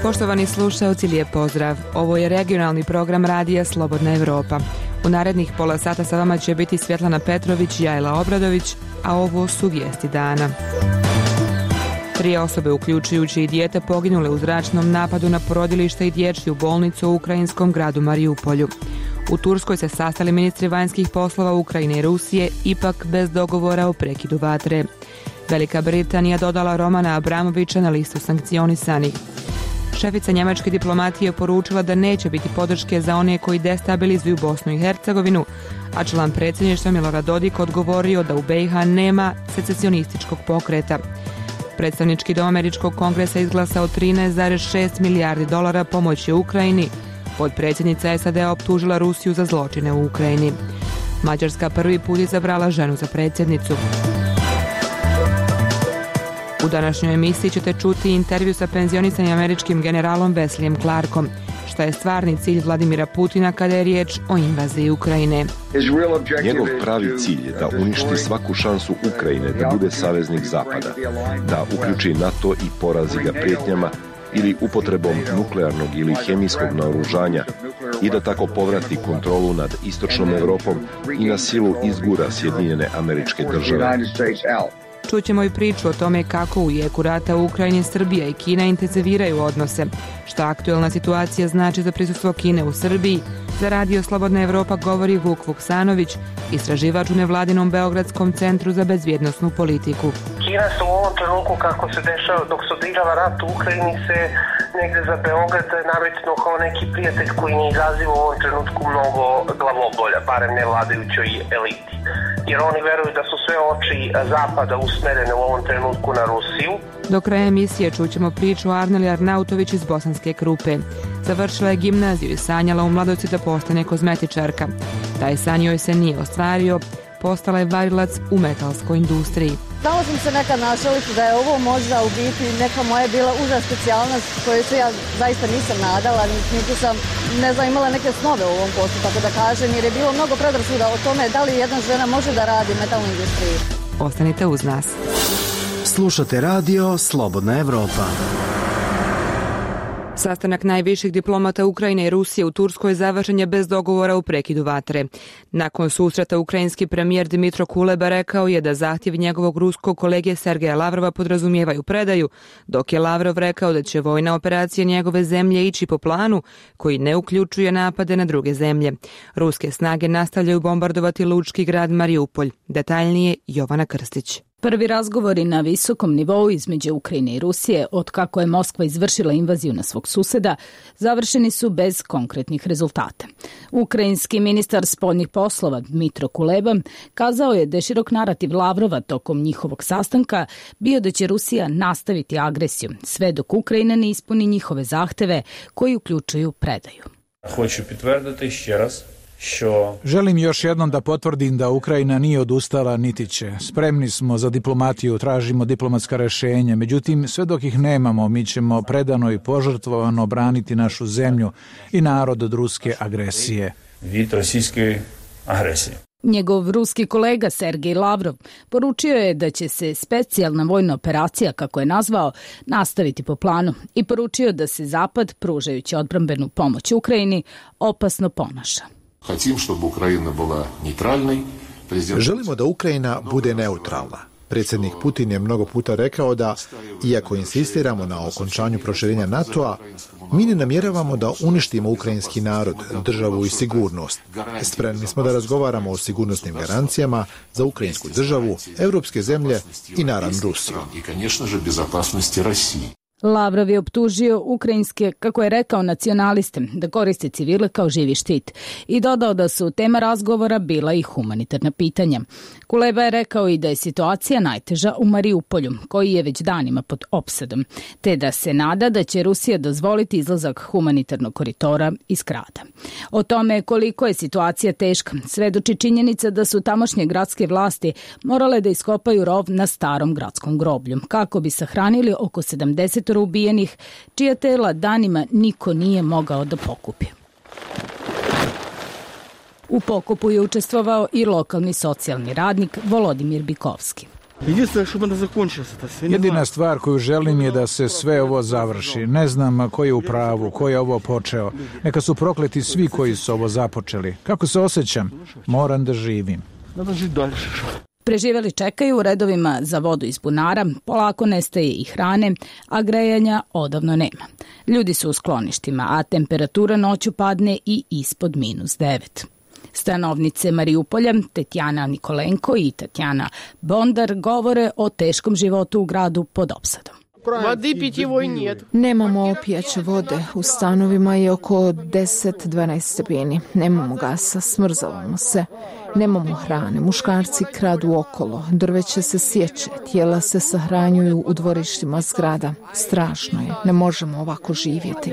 Poštovani slušaoci, lijep pozdrav. Ovo je regionalni program radija Slobodna Evropa. U narednih pola sata sa vama će biti Svjetlana Petrović i Jajla Obradović, a ovo su vijesti dana. 3 osobe, uključujući i dijete, poginule u zračnom napadu na porodilište i dječju bolnicu u ukrajinskom gradu Mariupolju. U Turskoj se sastali ministri vanjskih poslova Ukrajine i Rusije, ipak bez dogovora o prekidu vatre. Velika Britanija dodala Romana Abramovića na listu sankcionisanih. Šefica njemačke diplomatije poručila da neće biti podrške za one koji destabilizuju Bosnu i Hercegovinu, a član predsjedništva Milorad Dodik odgovorio da u BiH nema secesionističkog pokreta. Predstavnički dom američkog kongresa izglasao $13,6 milijardi pomoći Ukrajini. Potpredsjednica SAD-a optužila Rusiju za zločine u Ukrajini. Mađarska prvi put izabrala ženu za predsjednicu. U današnjoj emisiji ćete čuti intervju sa penzionisanim američkim generalom Wesleyem Clarkom. Šta je stvarni cilj Vladimira Putina kada je riječ o invaziji Ukrajine? Njegov pravi cilj je da uništi svaku šansu Ukrajine da bude saveznik Zapada, da uključi NATO i porazi ga prijetnjama ili upotrebom nuklearnog ili hemijskog naoružanja i da tako povrati kontrolu nad istočnom Europom i na silu izgura Sjedinjene Američke Države. Čućemo i priču o tome kako u jeku rata u Ukrajini Srbija i Kina intenziviraju odnose, šta aktuelna situacija znači za prisustvo Kine u Srbiji. Za Radio Slobodna Evropa govori Vuk Vuksanović, istraživač u nevladinom Beogradskom centru za bezbjednosnu politiku. Kina se u ovom trenutku, kako se dešava dok se odigrava rat u Ukrajini, se negde za Beograd nametnuo kao neki prijatelj koji ne izaziva u ovom trenutku mnogo glavobolja, barem ne vladajućoj eliti. Jer oni veruju da su sve oči Zapada usmerene u ovom trenutku na Rusiju. Do kraja emisije čućemo priču Arneli Arnautović iz Bosanske Krupe. Završila je gimnaziju i sanjala u mladosti da postane kozmetičarka. Taj san joj se nije ostvario, postala je varilac u metalskoj industriji. Samo sam se nekad našaliti da je ovo možda u biti neka moja bila uža specijalnost koju se ja zaista nisam nadala, niti sam, imala neke snove u ovom poslu, tako da kažem, jer je bilo mnogo predrasuda o tome da li jedna žena može da radi u metalnoj industriji. Ostanite uz nas. Slušate radio Slobodna Evropa. Sastanak najviših diplomata Ukrajine i Rusije u Turskoj završen je bez dogovora u prekidu vatre. Nakon susreta ukrajinski premijer Dmitro Kuleba rekao je da zahtjevi njegovog ruskog kolege Sergeja Lavrova podrazumijevaju predaju, dok je Lavrov rekao da će vojna operacija njegove zemlje ići po planu koji ne uključuje napade na druge zemlje. Ruske snage nastavljaju bombardovati lučki grad Mariupolj. Detaljnije Jovana Krstić. Prvi razgovori na visokom nivou između Ukrajine i Rusije, od kako je Moskva izvršila invaziju na svog suseda, završeni su bez konkretnih rezultata. Ukrajinski ministar spoljnih poslova Dmitro Kuleba kazao je da je širok narativ Lavrova tokom njihovog sastanka bio da će Rusija nastaviti agresiju, sve dok Ukrajina ne ispuni njihove zahteve koji uključuju predaju. Hoću potvrditi še raz. Želim još jednom da potvrdim da Ukrajina nije odustala niti će. Spremni smo za diplomatiju, tražimo diplomatska rješenja, međutim sve dok ih nemamo mi ćemo predano i požrtvovano braniti našu zemlju i narod od ruske agresije. Від російської агресії. Njegov ruski kolega Sergej Lavrov poručio je da će se specijalna vojna operacija, kako je nazvao, nastaviti po planu i poručio da se Zapad, pružajući odbrambenu pomoć Ukrajini, opasno ponaša. Želimo da Ukrajina bude neutralna. Predsjednik Putin je mnogo puta rekao da, iako insistiramo na okončanju proširenja NATO-a, mi ne namjeravamo da uništimo ukrajinski narod, državu i sigurnost. Spremni smo da razgovaramo o sigurnosnim garancijama za ukrajinsku državu, europske zemlje i naravno Rusiju. Lavrov je optužio ukrajinske, kako je rekao, nacionaliste da koriste civile kao živi štit i dodao da su tema razgovora bila i humanitarna pitanja. Kuleba je rekao i da je situacija najteža u Mariupolju, koji je već danima pod opsadom, te da se nada da će Rusija dozvoliti izlazak humanitarnog koridora iz grada. O tome koliko je situacija teška svedoči činjenica da su tamošnje gradske vlasti morale da iskopaju rov na starom gradskom groblju, kako bi sahranili oko 70 ubijenih, čija tela danima niko nije mogao da pokupi. U pokopu je učestvovao i lokalni socijalni radnik Volodimir Bikovski. Jedina stvar koju želim je da se sve ovo završi. Ne znam ko je u pravu, ko je ovo počeo. Neka su prokleti svi koji su ovo započeli. Kako se osjećam? Moram da živim. Preživeli čekaju u redovima za vodu iz bunara, polako nestaje i hrane, a grejanja odavno nema. Ljudi su u skloništima, a temperatura noću padne i ispod -9. Stanovnice Mariupolja, Tetjana Nikolenko i Tatjana Bondar govore o teškom životu u gradu pod opsadom. Nemamo pijaće vode, u stanovima je oko 10-12 stepeni, nemamo gasa, smrzavamo se, nemamo hrane, muškarci kradu okolo, drveće se sječe, tijela se sahranjuju u dvorištima zgrada. Strašno je, ne možemo ovako živjeti.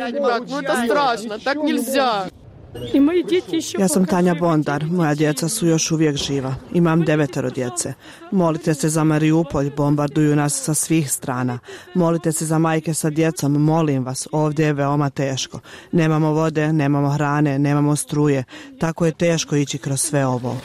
Ja sam Tanja Bondar, moja djeca su još uvijek živa. Imam 9 djece. Molite se za Mariupolj, bombarduju nas sa svih strana. Molite se za majke sa djecom, molim vas, ovdje je veoma teško. Nemamo vode, nemamo hrane, nemamo struje. Tako je teško ići kroz sve ovo.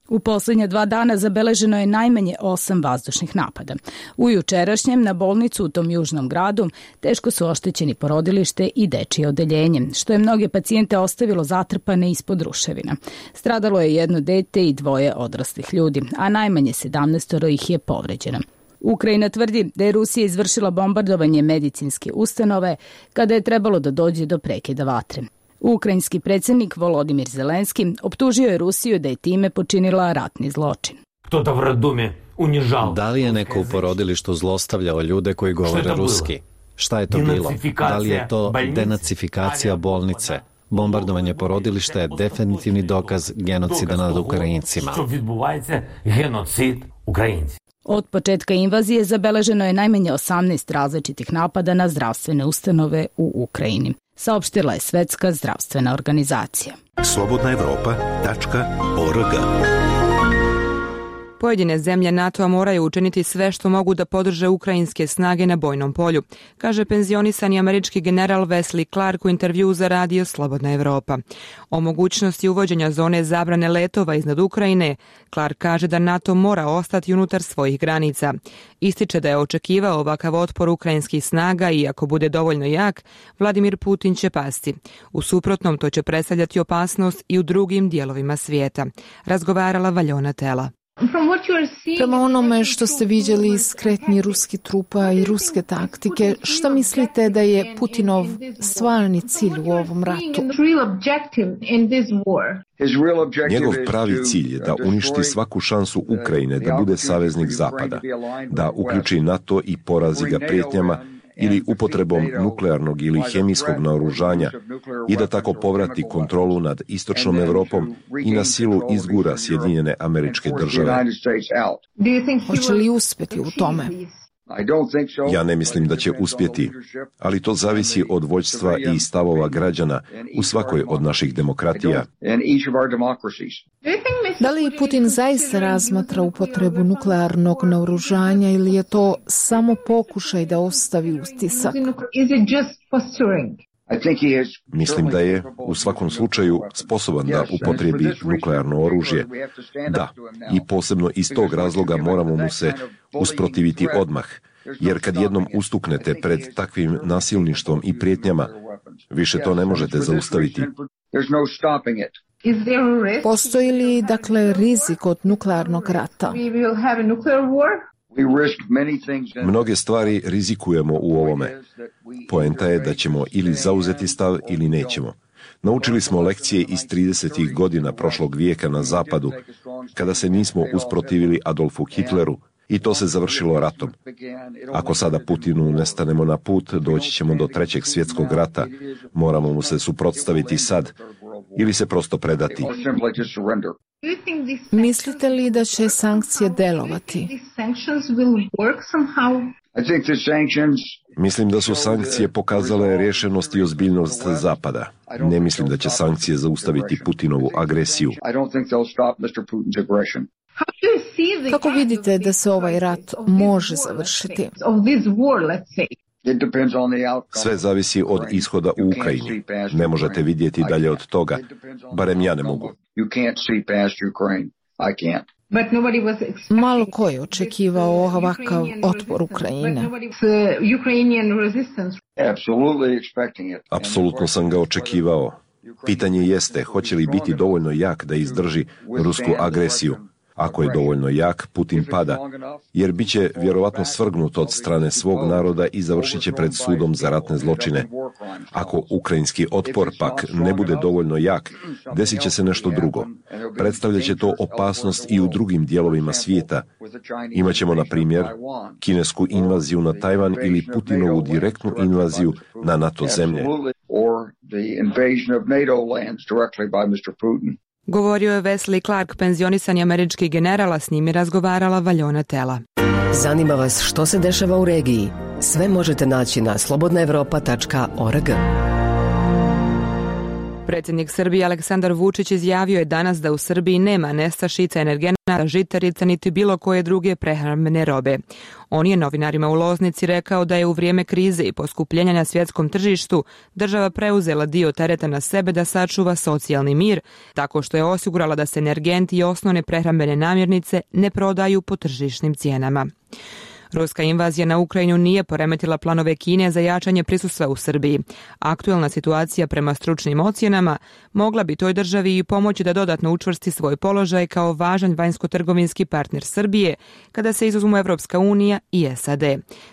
U posljednja 2 dana zabeleženo je najmanje 8 vazdušnih napada. U jučerašnjem na bolnicu u tom južnom gradu teško su oštećeni porodilište i dečije odeljenje, što je mnoge pacijente ostavilo zatrpane ispod ruševina. Stradalo je 1 dete i 2 odraslih ljudi, a najmanje 17 ih je povređeno. Ukrajina tvrdi da je Rusija izvršila bombardovanje medicinske ustanove kada je trebalo da dođe do prekida vatre. Ukrajinski predsjednik Volodimir Zelenski optužio je Rusiju da je time počinila ratni zločin. Da li je neko u porodilištu zlostavljao ljude koji govore ruski? Šta je to bilo? Da li je to denacifikacija bolnice? Bombardovanje porodilišta je definitivni dokaz genocida nad Ukrajincima. Od početka invazije zabeleženo je najmanje 18 različitih napada na zdravstvene ustanove u Ukrajini, saopštila je Svetska zdravstvena organizacija. slobodnaevropa.org. Pojedine zemlje NATO-a moraju učiniti sve što mogu da podrže ukrajinske snage na bojnom polju, kaže penzionisani američki general Wesley Clark u intervjuu za radio Slobodna Evropa. O mogućnosti uvođenja zone zabrane letova iznad Ukrajine, Clark kaže da NATO mora ostati unutar svojih granica. Ističe da je očekivao ovakav otpor ukrajinskih snaga i ako bude dovoljno jak, Vladimir Putin će pasti. U suprotnom to će predstavljati opasnost i u drugim dijelovima svijeta. Razgovarala Valjona Tela. Prema onome što ste vidjeli iz kretnji ruskih trupa i ruske taktike, šta mislite da je Putinov stvarni cilj u ovom ratu? Njegov pravi cilj je da uništi svaku šansu Ukrajine da bude saveznik Zapada, da uključi NATO i porazi ga prijetnjama ili upotrebom nuklearnog ili hemijskog naoružanja i da tako povrati kontrolu nad istočnom Evropom i na silu izgura Sjedinjene Američke Države. Hoće li uspjeti u tome? Ja ne mislim da će uspjeti, ali to zavisi od vođstva i stavova građana u svakoj od naših demokratija. Da li Putin zaista razmatra upotrebu nuklearnog naoružanja ili je to samo pokušaj da ostavi utisak? Mislim da je u svakom slučaju sposoban da upotrebi nuklearno oružje. Da, i posebno iz tog razloga moramo mu se usprotiviti odmah, jer kad jednom ustuknete pred takvim nasilništvom i prijetnjama, više to ne možete zaustaviti. Postoji li, dakle, rizik od nuklearnog rata? Mnoge stvari rizikujemo u ovome. Poenta je da ćemo ili zauzeti stav ili nećemo. Naučili smo lekcije iz 30. godina prošlog vijeka na zapadu, kada se nismo usprotivili Adolfu Hitleru, i to se završilo ratom. Ako sada Putinu ne stanemo na put, doći ćemo do 3. svjetskog rata. Moramo mu se suprotstaviti sad ili se prosto predati. Mislite li da će sankcije delovati? Mislim da su sankcije pokazale rješenost i ozbiljnost Zapada. Ne mislim da će sankcije zaustaviti Putinovu agresiju. Kako vidite da se ovaj rat može završiti? Sve zavisi od ishoda u Ukrajini. Ne možete vidjeti dalje od toga. Barem ja ne mogu. Malo ko je očekivao ovakav otpor Ukrajine. Apsolutno sam ga očekivao. Pitanje jeste, hoće li biti dovoljno jak da izdrži rusku agresiju. Ako je dovoljno jak, Putin pada, jer bit će vjerovatno svrgnut od strane svog naroda i završit će pred sudom za ratne zločine. Ako ukrajinski otpor pak ne bude dovoljno jak, desit će se nešto drugo. Predstavljat će to opasnost i u drugim dijelovima svijeta. Imaćemo, na primjer, kinesku invaziju na Tajvan ili Putinovu direktnu invaziju na NATO zemlje. Govorio je Wesley Clark, penzionisani američki general, a s njim je razgovarala Valjona Tela. Zanima vas što se dešava u regiji? Sve možete naći na slobodnaevropa.org. Predsjednik Srbije Aleksandar Vučić izjavio je danas da u Srbiji nema nestašica energenata, žitarica niti bilo koje druge prehrambene robe. On je novinarima u Loznici rekao da je u vrijeme krize i poskupljenja na svjetskom tržištu država preuzela dio tereta na sebe da sačuva socijalni mir, tako što je osigurala da se energenti i osnovne prehrambene namirnice ne prodaju po tržišnim cijenama. Ruska invazija na Ukrajinu nije poremetila planove Kine za jačanje prisustva u Srbiji. Aktualna situacija prema stručnim ocjenama mogla bi toj državi i pomoći da dodatno učvrsti svoj položaj kao važan vanjsko-trgovinski partner Srbije kada se izuzmu Evropska unija i SAD.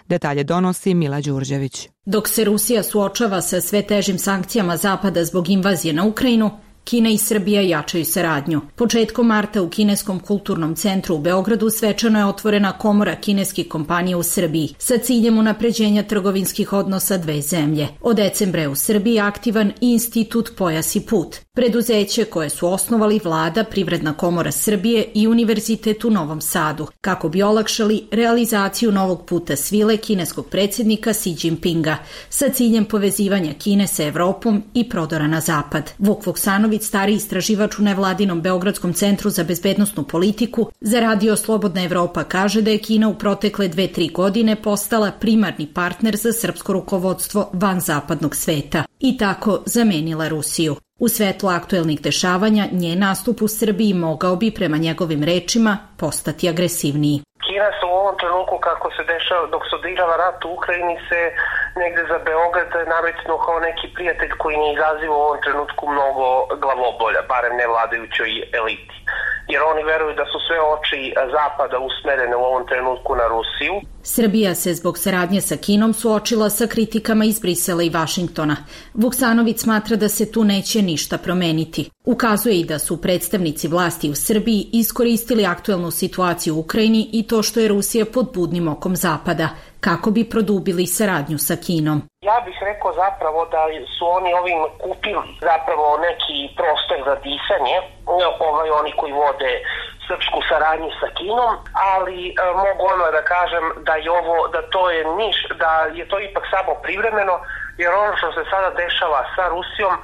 Detalje donosi Mila Đurđević. Dok se Rusija suočava sa sve težim sankcijama Zapada zbog invazije na Ukrajinu, Kina i Srbija jačaju saradnju. Početkom marta u Kineskom kulturnom centru u Beogradu svečano je otvorena komora kineskih kompanija u Srbiji sa ciljem unapređenja trgovinskih odnosa dve zemlje. Od decembra je u Srbiji aktivan i Institut Pojas i put, preduzeće koje su osnovali Vlada, Privredna komora Srbije i Univerzitet u Novom Sadu, kako bi olakšali realizaciju novog puta svile kineskog predsjednika Xi Jinpinga sa ciljem povezivanja Kine sa Evropom i prodora na zapad. Vuk Vuksanović, stariji istraživač u nevladinom Beogradskom centru za bezbednosnu politiku, za Radio Slobodna Evropa kaže da je Kina u protekle 2-3 godine postala primarni partner za srpsko rukovodstvo van zapadnog sveta i tako zamenila Rusiju. U svetlu aktuelnih dešavanja, njen nastup u Srbiji mogao bi, prema njegovim rečima, postati agresivniji. Kina se u ovom trenutku, kako se dešava, dok se odigrava rat u Ukrajini, se negde za Beograd nametnuo kao neki prijatelj koji ne izaziva u ovom trenutku mnogo glavobolja, barem ne vladajućoj eliti. Jer oni veruju da su sve oči Zapada usmerene u ovom trenutku na Rusiju. Srbija se zbog saradnje sa Kinom suočila sa kritikama iz Brisela i Vašingtona. Vuksanović smatra da se tu neće ništa promeniti. Ukazuje i da su predstavnici vlasti u Srbiji iskoristili aktuelnu situaciju u Ukrajini i to što je Rusija pod budnim okom Zapada, kako bi produbili saradnju sa Kinom. Ja bih rekao zapravo da su oni ovim kupili zapravo neki prostor za disanje, oni koji vode srpsku saradnju sa Kinom, ali mogu ono da kažem da je ovo, da to je da je to ipak samo privremeno, jer ono što se sada dešava sa Rusijom,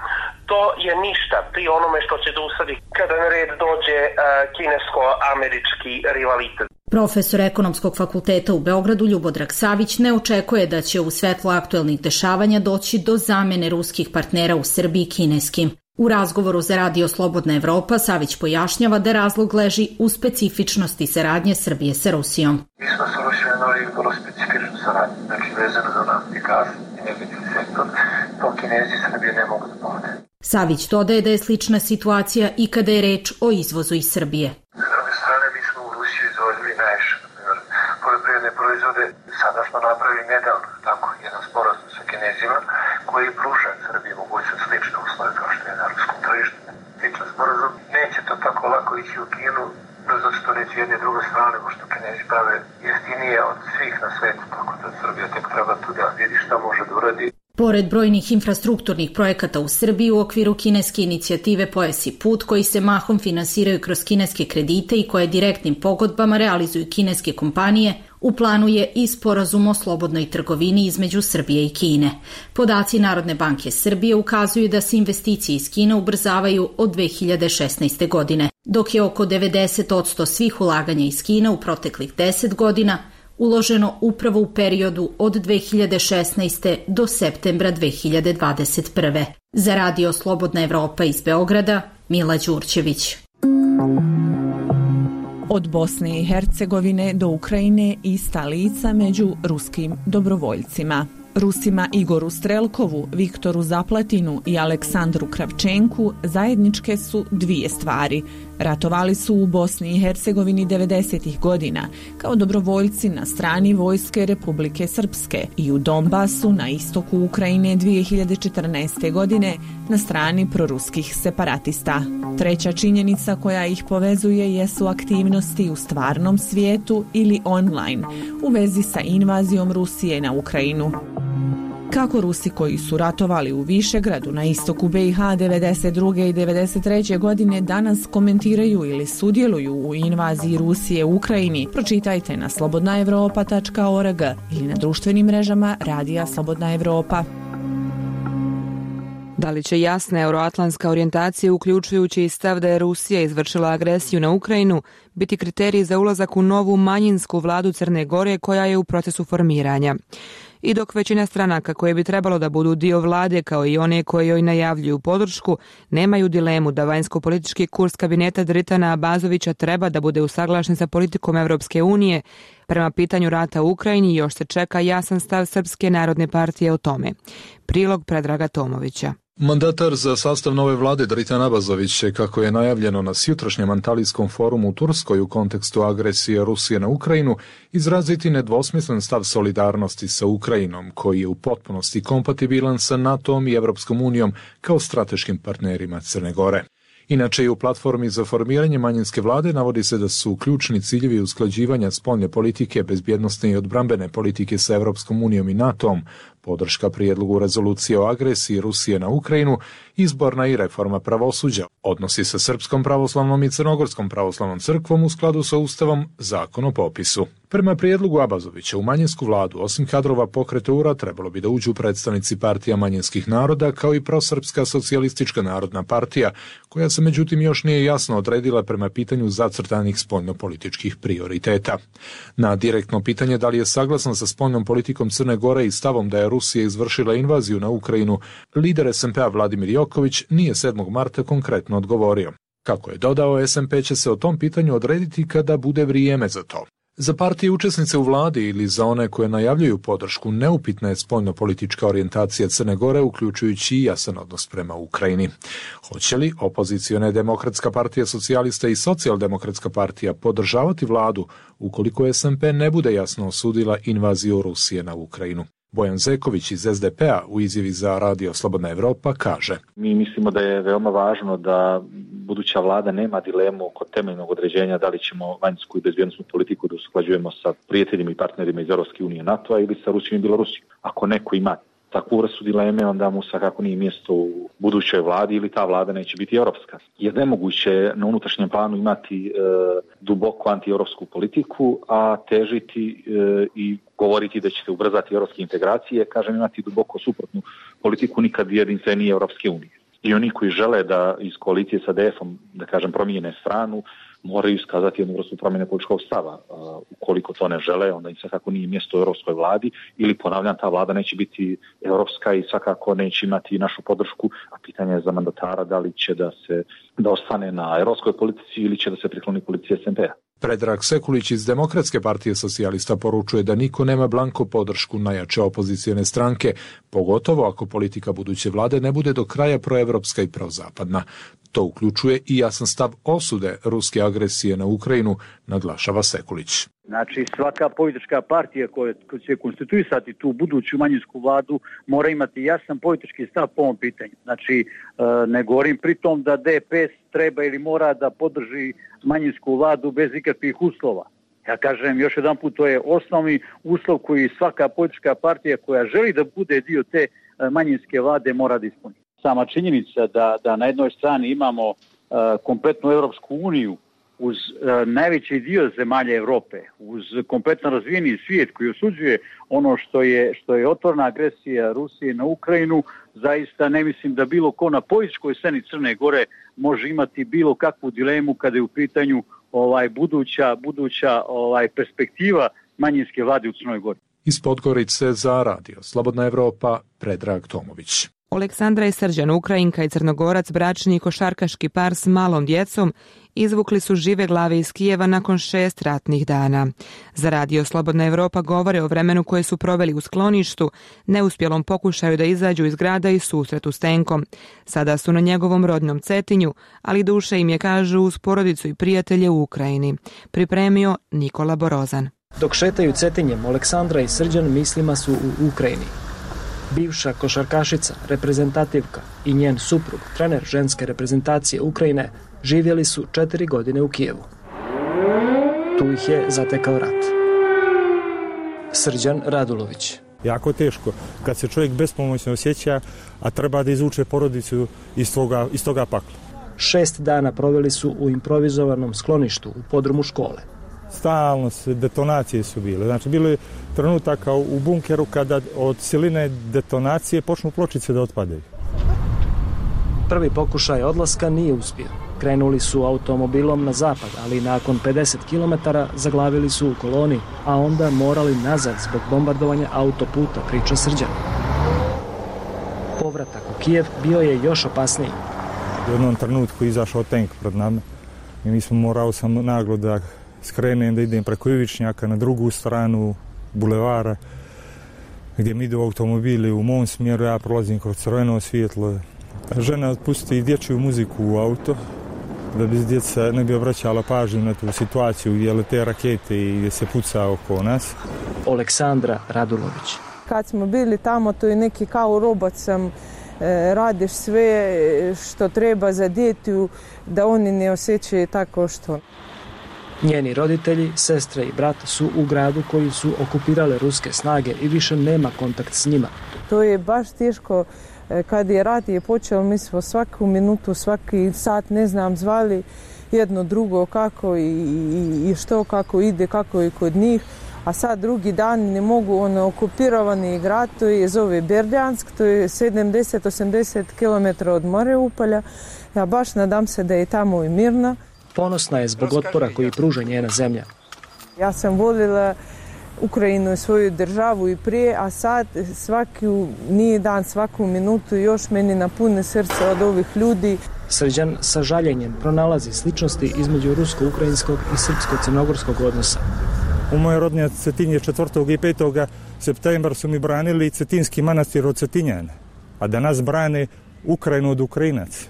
to je ništa pri onome što će da usadi kada na red dođe kinesko-američki rivalitet. Profesor Ekonomskog fakulteta u Beogradu Ljubodrag Savić ne očekuje da će u svetlu aktuelnih dešavanja doći do zamene ruskih partnera u Srbiji kineskim. U razgovoru za Radio Slobodna Evropa Savić pojašnjava da razlog leži u specifičnosti saradnje Srbije sa Rusijom. Mi smo sa Rusijom imali vrlo specifičnu saradnju, znači vezano za naft i gaz i energetski sektor, to Kinezi i Srbije ne mogu da pomode. Savić dodaje da je slična situacija i kada je reč o izvozu iz Srbije. S druge strane, mi smo u Rusiju izvozili najviše, na primjer, poljoprivredne proizvode. Sada smo napravili nedavno jedan sporazum sa Kinezima koji pruža Srbiji mogućnost slične uslove kao što je na ruskom tržištu. Sličan sporazum neće to tako lako ići u Kinu, zato što neće jedne i druge strane, pošto Kinezi prave jeftinije od svih na svetu, tako da Srbija tek treba tu da vidi šta može da uradi. Pored brojnih infrastrukturnih projekata u Srbiji u okviru kineske inicijative Pojas i put, koji se mahom finansiraju kroz kineske kredite i koje direktnim pogodbama realizuju kineske kompanije, u planu je i sporazum o slobodnoj trgovini između Srbije i Kine. Podaci Narodne banke Srbije ukazuju da se investicije iz Kine ubrzavaju od 2016. godine, dok je oko 90% svih ulaganja iz Kine u proteklih 10 godina uloženo upravo u periodu od 2016. do septembra 2021. Za Radio Slobodna Evropa iz Beograda, Mila Đurđević. Od Bosne i Hercegovine do Ukrajine ista lica među ruskim dobrovoljcima. Rusima Igoru Strelkovu, Viktoru Zaplatinu i Aleksandru Kravčenku zajedničke su dvije stvari. Ratovali su u Bosni i Hercegovini 90. godina kao dobrovoljci na strani vojske Republike Srpske i u Donbasu na istoku Ukrajine 2014. godine na strani proruskih separatista. Treća činjenica koja ih povezuje jesu aktivnosti u stvarnom svijetu ili online u vezi sa invazijom Rusije na Ukrajinu. Kako Rusi koji su ratovali u Višegradu na istoku BiH 92. i 93. godine danas komentiraju ili sudjeluju u invaziji Rusije u Ukrajini, pročitajte na slobodnaevropa.org ili na društvenim mrežama Radija Slobodna Evropa. Da li će jasna euroatlantska orijentacija, uključujući i stav da je Rusija izvršila agresiju na Ukrajinu, biti kriterij za ulazak u novu manjinsku vladu Crne Gore koja je u procesu formiranja? I dok većina stranaka koje bi trebalo da budu dio vlade kao i one koje joj najavljuju podršku, nemaju dilemu da vanjsko-politički kurs kabineta Dritana Abazovića treba da bude usaglašen sa politikom Evropske unije, prema pitanju rata u Ukrajini još se čeka jasan stav Srpske narodne partije o tome. Prilog Predraga Tomovića. Mandatar za sastav nove vlade Dritan Abazović će, kako je najavljeno na sjutrašnjem Antalijskom forumu u Turskoj u kontekstu agresije Rusije na Ukrajinu, izraziti nedvosmislen stav solidarnosti sa Ukrajinom, koji je u potpunosti kompatibilan sa NATO-om i Evropskom unijom kao strateškim partnerima Crne Gore. Inače, i u platformi za formiranje manjinske vlade navodi se da su ključni ciljevi usklađivanja spoljne politike, bezbjednosne i odbrambene politike sa Evropskom unijom i NATO-om, podrška prijedlogu rezolucije o agresiji Rusije na Ukrajinu, izborna i reforma pravosuđa, odnosi sa Srpskom pravoslavnom i Crnogorskom pravoslavnom crkvom u skladu sa Ustavom, zakon o popisu. Prema prijedlogu Abazovića u manjinsku vladu, osim kadrova pokreta URA, trebalo bi da uđu predstavnici partija manjinskih naroda kao i prosrpska socijalistička narodna partija, koja se međutim još nije jasno odredila prema pitanju zacrtanih spoljnopolitičkih prioriteta. Na direktno pitanje da li je saglasan sa spoljnom politikom Crne Gore i stavom da je Rusija izvršila invaziju na Ukrajinu, lider SMP-a Vladimir Joković nije 7. marta konkretno odgovorio. Kako je dodao, SMP će se o tom pitanju odrediti kada bude vrijeme za to. Za partije učesnice u vladi ili za one koje najavljuju podršku neupitna je spoljnopolitička orijentacija Crne Gore, uključujući i jasan odnos prema Ukrajini. Hoće li opozicione Demokratska partija socijalista i Socijaldemokratska partija podržavati vladu ukoliko SMP ne bude jasno osudila invaziju Rusije na Ukrajinu? Bojan Zeković iz SDP-a u izjavi za Radio Slobodna Evropa kaže: Mi mislimo da je veoma važno da buduća vlada nema dilemu oko temeljnog određenja da li ćemo vanjsku i bezbjednosnu politiku da usklađujemo sa prijateljima i partnerima iz Europske unije, NATO-a ili sa Rusijom i Bjelorusijom. Ako neko ima takvu vrstu dileme, onda mu svakako nije mjesto u budućoj vladi ili ta vlada neće biti europska. Jer nemoguće na unutrašnjem planu imati duboko antieuropsku politiku, a težiti i govoriti da će se ubrzati europske integracije, kažem imati duboko suprotnu politiku nikad jedinstvenije Europske unije. I oni koji žele da iz koalicije sa DF-om, da kažem, promijene stranu, moraju iskazati jednu vrstu promjene političkog stava. Ukoliko to ne žele, onda im svakako nije mjesto u europskoj vladi ili, ponavljam, ta vlada neće biti europska i svakako neće imati našu podršku, a pitanje je za mandatara da li će da ostane na europskoj politici ili će da se prikloni politici SMP-a. Predrag Sekulić iz Demokratske partije socijalista poručuje da niko nema blanko podršku najjače opozicijone stranke, pogotovo ako politika buduće vlade ne bude do kraja proevropska i prozapadna. To uključuje i jasan stav osude ruske agresije na Ukrajinu, naglašava Sekulić. Znači, svaka politička partija koja će konstituisati tu buduću manjinsku vladu mora imati jasan politički stav po ovom pitanju. Znači, ne govorim pritom da DPS treba ili mora da podrži manjinsku vladu bez ikakvih uslova. Ja kažem još jedan put, to je osnovni uslov koji svaka politička partija koja želi da bude dio te manjinske vlade mora da ispuni. Sama činjenica da na jednoj strani imamo kompletnu Europsku uniju uz najveći dio zemalja Europe, uz kompletno razvijeni svijet koji osuđuje ono što je otvorena agresija Rusije na Ukrajinu, zaista ne mislim da bilo ko na političkoj sceni Crne Gore može imati bilo kakvu dilemu kada je u pitanju buduća perspektiva manjinske vlade u Crnoj Gori. Iz Podgorice za Radio Slobodna Evropa, Predrag Tomović. Aleksandra i Srđan, Ukrajinka i Crnogorac, bračni i košarkaški par s malom djecom, izvukli su žive glave iz Kijeva nakon 6 ratnih dana. Za Radio Slobodna Evropa govore o vremenu koje su proveli u skloništu, neuspjelom pokušaju da izađu iz grada i susretu s tenkom. Sada su na njegovom rodnom Cetinju, ali duše im je, kažu, uz porodicu i prijatelje u Ukrajini. Pripremio Nikola Borozan. Dok šetaju Cetinjem, Aleksandra i Srđan mislima su u Ukrajini. Bivša košarkašica, reprezentativka i njen suprug, trener ženske reprezentacije Ukrajine, živjeli su 4 godine u Kijevu. Tu ih je zatekao rat. Srđan Radulović. Jako teško kad se čovjek bespomoćno osjeća, a treba da izvuče porodicu iz toga pakla. 6 dana proveli su u improvizovanom skloništu u podrumu škole. Stalno detonacije su bile. Znači, bilo je trenutaka u bunkeru kada od siline detonacije počnu pločice da otpadaju. Prvi pokušaj odlaska nije uspio. Krenuli su automobilom na zapad, ali nakon 50 km zaglavili su u koloni, a onda morali nazad zbog bombardovanja autoputa, priča Srđan. Povratak u Kijev bio je još opasniji. U jednom trenutku izašao tank pred nama i morao sam naglo da skrenem, da idem preko Ivičnjaka na drugu stranu bulevara gdje mi idu automobili u mom smjeru, ja prolazim kroz crveno svjetlo. Žena pusti dječju muziku u auto da bi djeca ne bi obraćala pažnju na tu situaciju gdje lete rakete i gdje se puca oko nas. Aleksandra Radulović. Kad smo bili tamo, to je neki kao robot sam, radiš sve što treba za djetu da oni ne osjećaju tako što. Njeni roditelji, sestre i brat su u gradu koji su okupirale ruske snage i više nema kontakt s njima. To je baš teško. Kad je rat je počeo, mi smo svaku minutu, svaki sat, ne znam, zvali jedno drugo kako i što, kako ide, kako je kod njih. A sad drugi dan ne mogu, okupirovani grad, to je zove Berdjansk, to je 70-80 km od Mariupolja. Ja baš nadam se da je tamo i mirno. Ponosna je zbog otpora koji pruža njena zemlja. Ja sam voljela Ukrajinu i svoju državu i prije, a sad nije dan, svaku minutu još meni napune srce od ovih ljudi. Srđan sa žaljenjem pronalazi sličnosti između rusko-ukrajinskog i srpsko-crnogorskog odnosa. U moje rodnje Cetinje 4. i 5. septembra su mi branili Cetinski manastir od Cetinjana, a danas brane Ukrajinu od Ukrajinaca.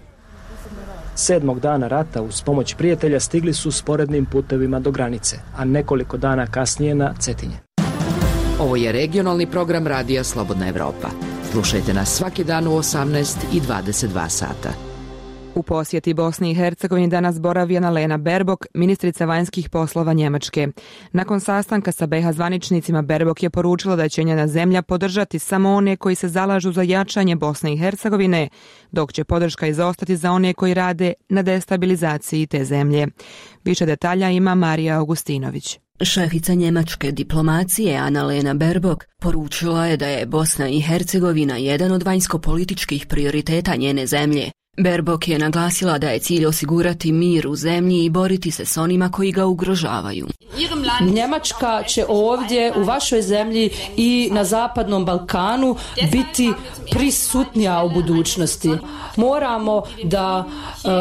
7. dana rata uz pomoć prijatelja stigli su sporednim putevima do granice, a nekoliko dana kasnije na Cetinje. Ovo je regionalni program Radija Slobodna Evropa. Slušajte nas svaki dan u 18 i 22 sata. U posjeti Bosni i Hercegovini danas boravi Annalena Baerbock, ministrica vanjskih poslova Njemačke. Nakon sastanka sa BiH zvaničnicima, Baerbock je poručila da će njena zemlja podržati samo one koji se zalažu za jačanje Bosne i Hercegovine, dok će podrška izostati za one koji rade na destabilizaciji te zemlje. Više detalja ima Marija Augustinović. Šefica njemačke diplomacije Annalena Baerbock poručila je da je Bosna i Hercegovina jedan od vanjsko-političkih prioriteta njene zemlje. Baerbock je naglasila da je cilj osigurati mir u zemlji i boriti se s onima koji ga ugrožavaju. Njemačka će ovdje u vašoj zemlji i na Zapadnom Balkanu biti prisutnija u budućnosti. Moramo da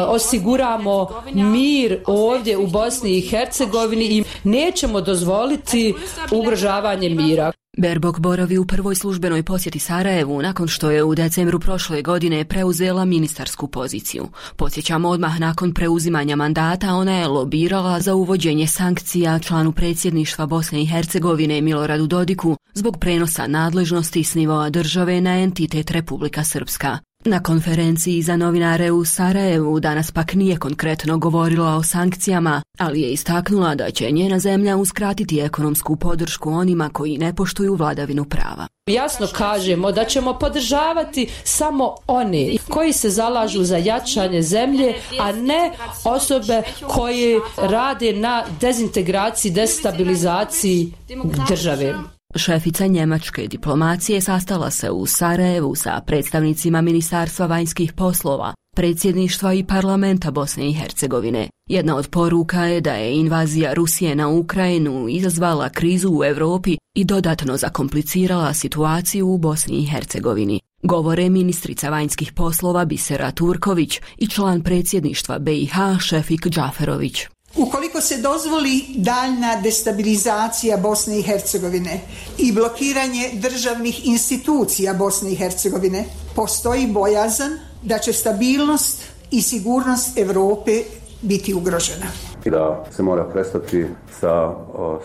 osiguramo mir ovdje u Bosni i Hercegovini i nećemo dozvoliti ugrožavanje mira. Baerbock boravi u prvoj službenoj posjeti Sarajevu nakon što je u decembru prošle godine preuzela ministarsku poziciju. Podsjećamo, odmah nakon preuzimanja mandata ona je lobirala za uvođenje sankcija članu predsjedništva Bosne i Hercegovine Miloradu Dodiku zbog prenosa nadležnosti s nivoa države na entitet Republika Srpska. Na konferenciji za novinare u Sarajevu danas pak nije konkretno govorila o sankcijama, ali je istaknula da će njena zemlja uskratiti ekonomsku podršku onima koji ne poštuju vladavinu prava. Jasno kažemo da ćemo podržavati samo one koji se zalažu za jačanje zemlje, a ne osobe koje rade na dezintegraciji, destabilizaciji države. Šefica njemačke diplomacije sastala se u Sarajevu sa predstavnicima Ministarstva vanjskih poslova, predsjedništva i parlamenta Bosne i Hercegovine. Jedna od poruka je da je invazija Rusije na Ukrajinu izazvala krizu u Europi i dodatno zakomplicirala situaciju u Bosni i Hercegovini. Govore ministrica vanjskih poslova Bisera Turković i član predsjedništva BiH Šefik Džaferović. Ukoliko se dozvoli daljna destabilizacija Bosne i Hercegovine i blokiranje državnih institucija Bosne i Hercegovine, postoji bojazan da će stabilnost i sigurnost Europe biti ugrožena. I da se mora prestati sa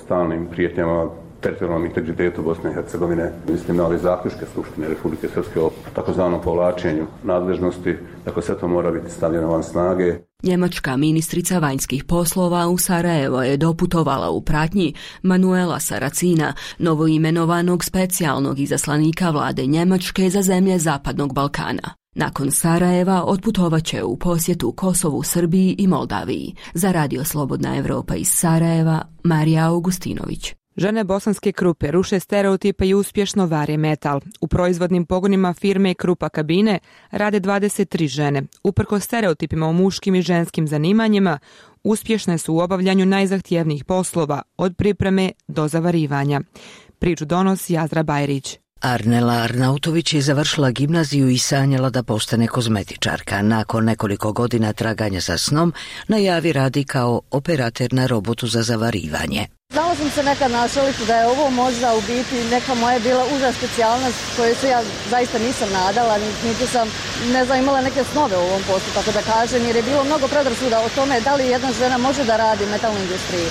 stalnim prijetnjama teritorijalnom integritetu Bosne i Hercegovine. Mislim na ove zaključke Skupštine Republike Srpske o takozvanom povlačenju nadležnosti, dakle sve to mora biti stavljeno van snage. Njemačka ministrica vanjskih poslova u Sarajevo je doputovala u pratnji Manuela Saracina, novoimenovanog specijalnog izaslanika vlade Njemačke za zemlje Zapadnog Balkana. Nakon Sarajeva otputovaće u posjetu Kosovu, Srbiji i Moldaviji. Za Radio Slobodna Evropa iz Sarajeva, Marija Augustinović. Žene Bosanske Krupe ruše stereotipe i uspješno vare metal. U proizvodnim pogonima firme Krupa Kabine rade 23 žene. Uprkos stereotipima o muškim i ženskim zanimanjima, uspješne su u obavljanju najzahtjevnijih poslova, od pripreme do zavarivanja. Priču donosi Azra Bajrić. Arnela Arnautović je završila gimnaziju i sanjala da postane kozmetičarka. Nakon nekoliko godina traganja za snom, najavi radi kao operater na robotu za zavarivanje. Znala sam se nekad našaliti da je ovo možda u biti neka moja bila uža specijalnost koju se ja zaista nisam nadala, niti sam, imala neke snove u ovom poslu, tako da kažem, jer je bilo mnogo predrasuda o tome da li jedna žena može da radi u metalnoj industriji.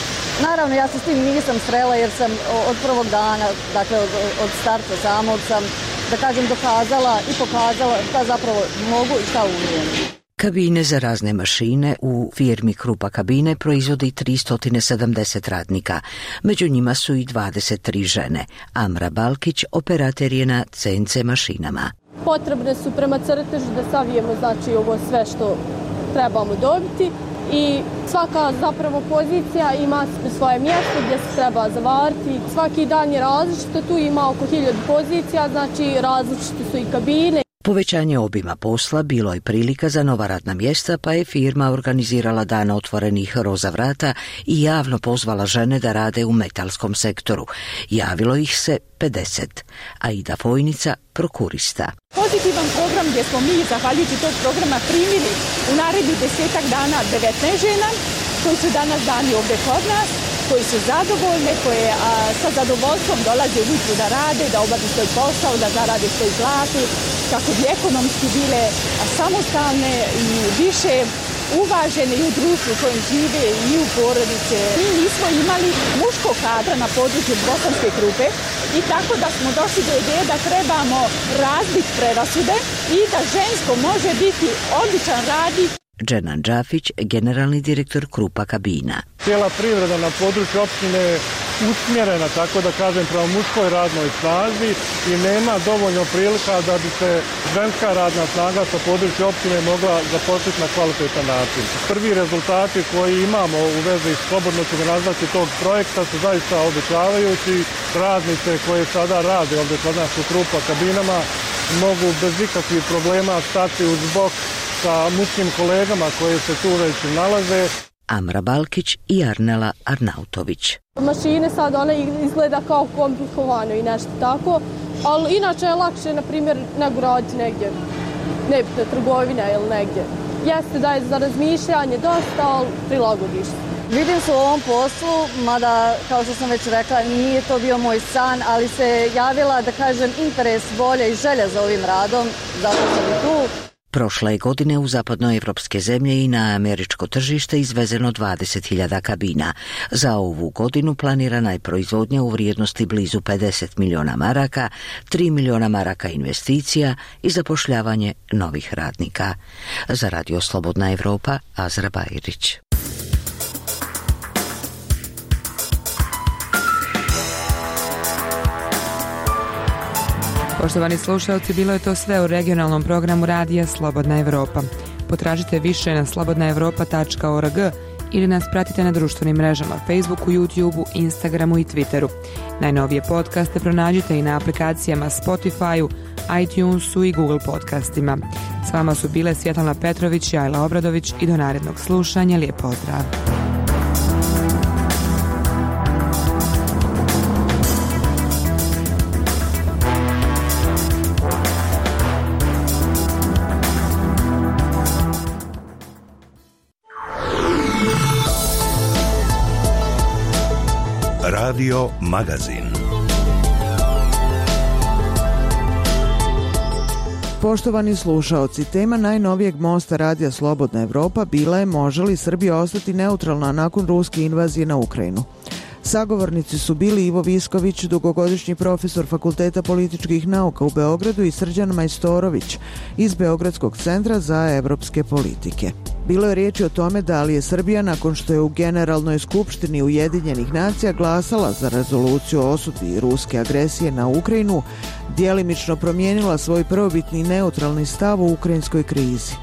Naravno, ja se s tim nisam srela jer sam od prvog dana, dakle od starta samog sam, da kažem, dokazala i pokazala šta zapravo mogu i šta umijem. Kabine za razne mašine u firmi Krupa Kabine proizvodi 370 radnika. Među njima su i 23 žene. Amra Balkić operater je na CNC mašinama. Potrebne su prema crtežu da savijemo znači ovo sve što trebamo dobiti i svaka zapravo pozicija ima svoje mjesto gdje se treba zavariti. Svaki dan je različito, tu ima oko 1000 pozicija, znači različite su i kabine. Povećanje obima posla bilo je prilika za nova radna mjesta, pa je firma organizirala dan otvorenih roza vrata i javno pozvala žene da rade u metalskom sektoru. Javilo ih se 50. Aida Fojnica, prokurista. Pozitivan program gdje smo mi, zahvaljujući tog programa, primili u narednih 10 dana 19 žena koji su danas dani ovdje kod nas, koji su zadovoljne, koje sa zadovoljstvom dolaze ujutru da rade, da obave svoj posao, da zarade svoj platu, kako bi ekonomski bile samostalne i više uvažene i u društvu u kojem žive i u porodice. Mi nismo imali muškog kadra na području Bosanske Krupe i tako da smo došli do ideje da trebamo razbiti prerasude i da žensko može biti odličan radnik. Dženan Džafić, generalni direktor Krupa Kabina. Cijela privreda na području opštine je usmjerena, tako da kažem, prema muškoj radnoj snazi i nema dovoljno prilika da bi se ženska radna snaga sa područja opštine mogla zaposliti na kvalitetan način. Prvi rezultati koji imamo u vezi slobodno ću ga nazvati tog projekta su zaista obećavajući. Radnice koje sada rade ovdje kod nas u Krupa Kabinama mogu bez ikakvih problema stati uz bok sa muškim kolegama koje se tu već nalaze. Amra Balkić i Arnela Arnautović. Mašine sad one izgleda kao komplikovano i nešto tako, ali inače je lakše, na primjer, nego raditi negdje, nebitno trgovina ili negdje. Jeste da je za razmišljanje dosta, ali prilagodiš se. Vidim se u ovom poslu, mada, kao što sam već rekla, nije to bio moj san, ali se javila, da kažem, interes, volja i želja za ovim radom, zato sam i tu. Prošle godine u zapadnoevropske zemlje i na američko tržište izvezeno 20.000 kabina. Za ovu godinu planirana je proizvodnja u vrijednosti blizu 50 milijuna maraka, 3 milijuna maraka investicija i zapošljavanje novih radnika. Za Radio Slobodna Evropa, Azra Bajrić. Poštovani slušalci, bilo je to sve u regionalnom programu radija Slobodna Evropa. Potražite više na slobodnaevropa.org ili nas pratite na društvenim mrežama Facebooku, YouTubeu, Instagramu i Twitteru. Najnovije podcaste pronađite i na aplikacijama Spotifyu, iTunesu i Google podcastima. S vama su bile Svjetlana Petrović i Ajla Obradović i do narednog slušanja. Lijep pozdrav! Radio Magazin. Poštovani slušaoci, tema najnovijeg mosta Radija Slobodna Evropa bila je može li Srbija ostati neutralna nakon ruske invazije na Ukrajinu. Sagovornici su bili Ivo Visković, dugogodišnji profesor Fakulteta političkih nauka u Beogradu, i Srđan Majstorović iz Beogradskog centra za evropske politike. Bilo je riječi o tome da li je Srbija, nakon što je u Generalnoj skupštini Ujedinjenih nacija glasala za rezoluciju o osudi ruske agresije na Ukrajinu, djelimično promijenila svoj prvobitni neutralni stav u ukrajinskoj krizi.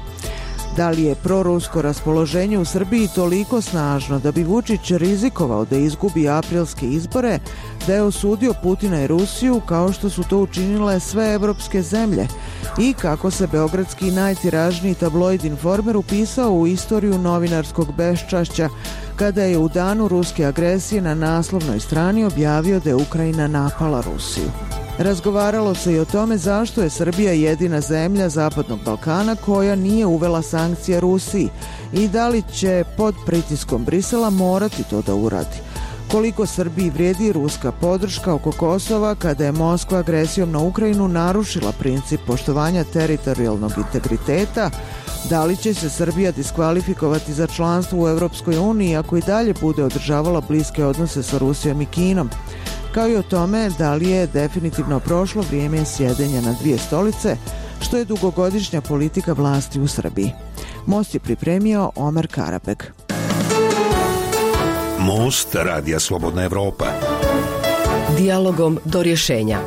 Da li je prorusko raspoloženje u Srbiji toliko snažno da bi Vučić rizikovao da izgubi aprilske izbore, da je osudio Putina i Rusiju kao što su to učinile sve evropske zemlje, i kako se beogradski najtiražniji tabloid Informer upisao u istoriju novinarskog beščašća kada je u danu ruske agresije na naslovnoj strani objavio da je Ukrajina napala Rusiju. Razgovaralo se i o tome zašto je Srbija jedina zemlja Zapadnog Balkana koja nije uvela sankcije Rusiji i da li će pod pritiskom Brisela morati to da uradi. Koliko Srbiji vrijedi ruska podrška oko Kosova kada je Moskva agresijom na Ukrajinu narušila princip poštovanja teritorijalnog integriteta, da li će se Srbija diskvalifikovati za članstvo u Europskoj uniji ako i dalje bude održavala bliske odnose sa Rusijom i Kinom, kao i o tome da li je definitivno prošlo vrijeme sjedenja na dvije stolice, što je dugogodišnja politika vlasti u Srbiji. Most je pripremio Omer Karabeg. Most Radija Slobodna Evropa. Dijalogom do rješenja.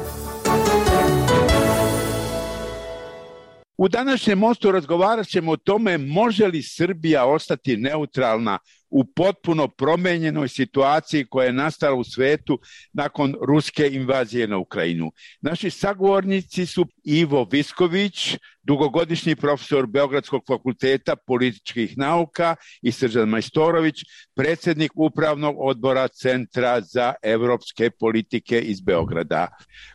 U današnjem mostu razgovarat ćemo o tome može li Srbija ostati neutralna u potpuno promijenjenoj situaciji koja je nastala u svetu nakon ruske invazije na Ukrajinu. Naši sagovornici su Ivo Visković, dugogodišnji profesor Beogradskog fakulteta političkih nauka, i Srđan Majstorović, predsjednik upravnog odbora Centra za evropske politike iz Beograda.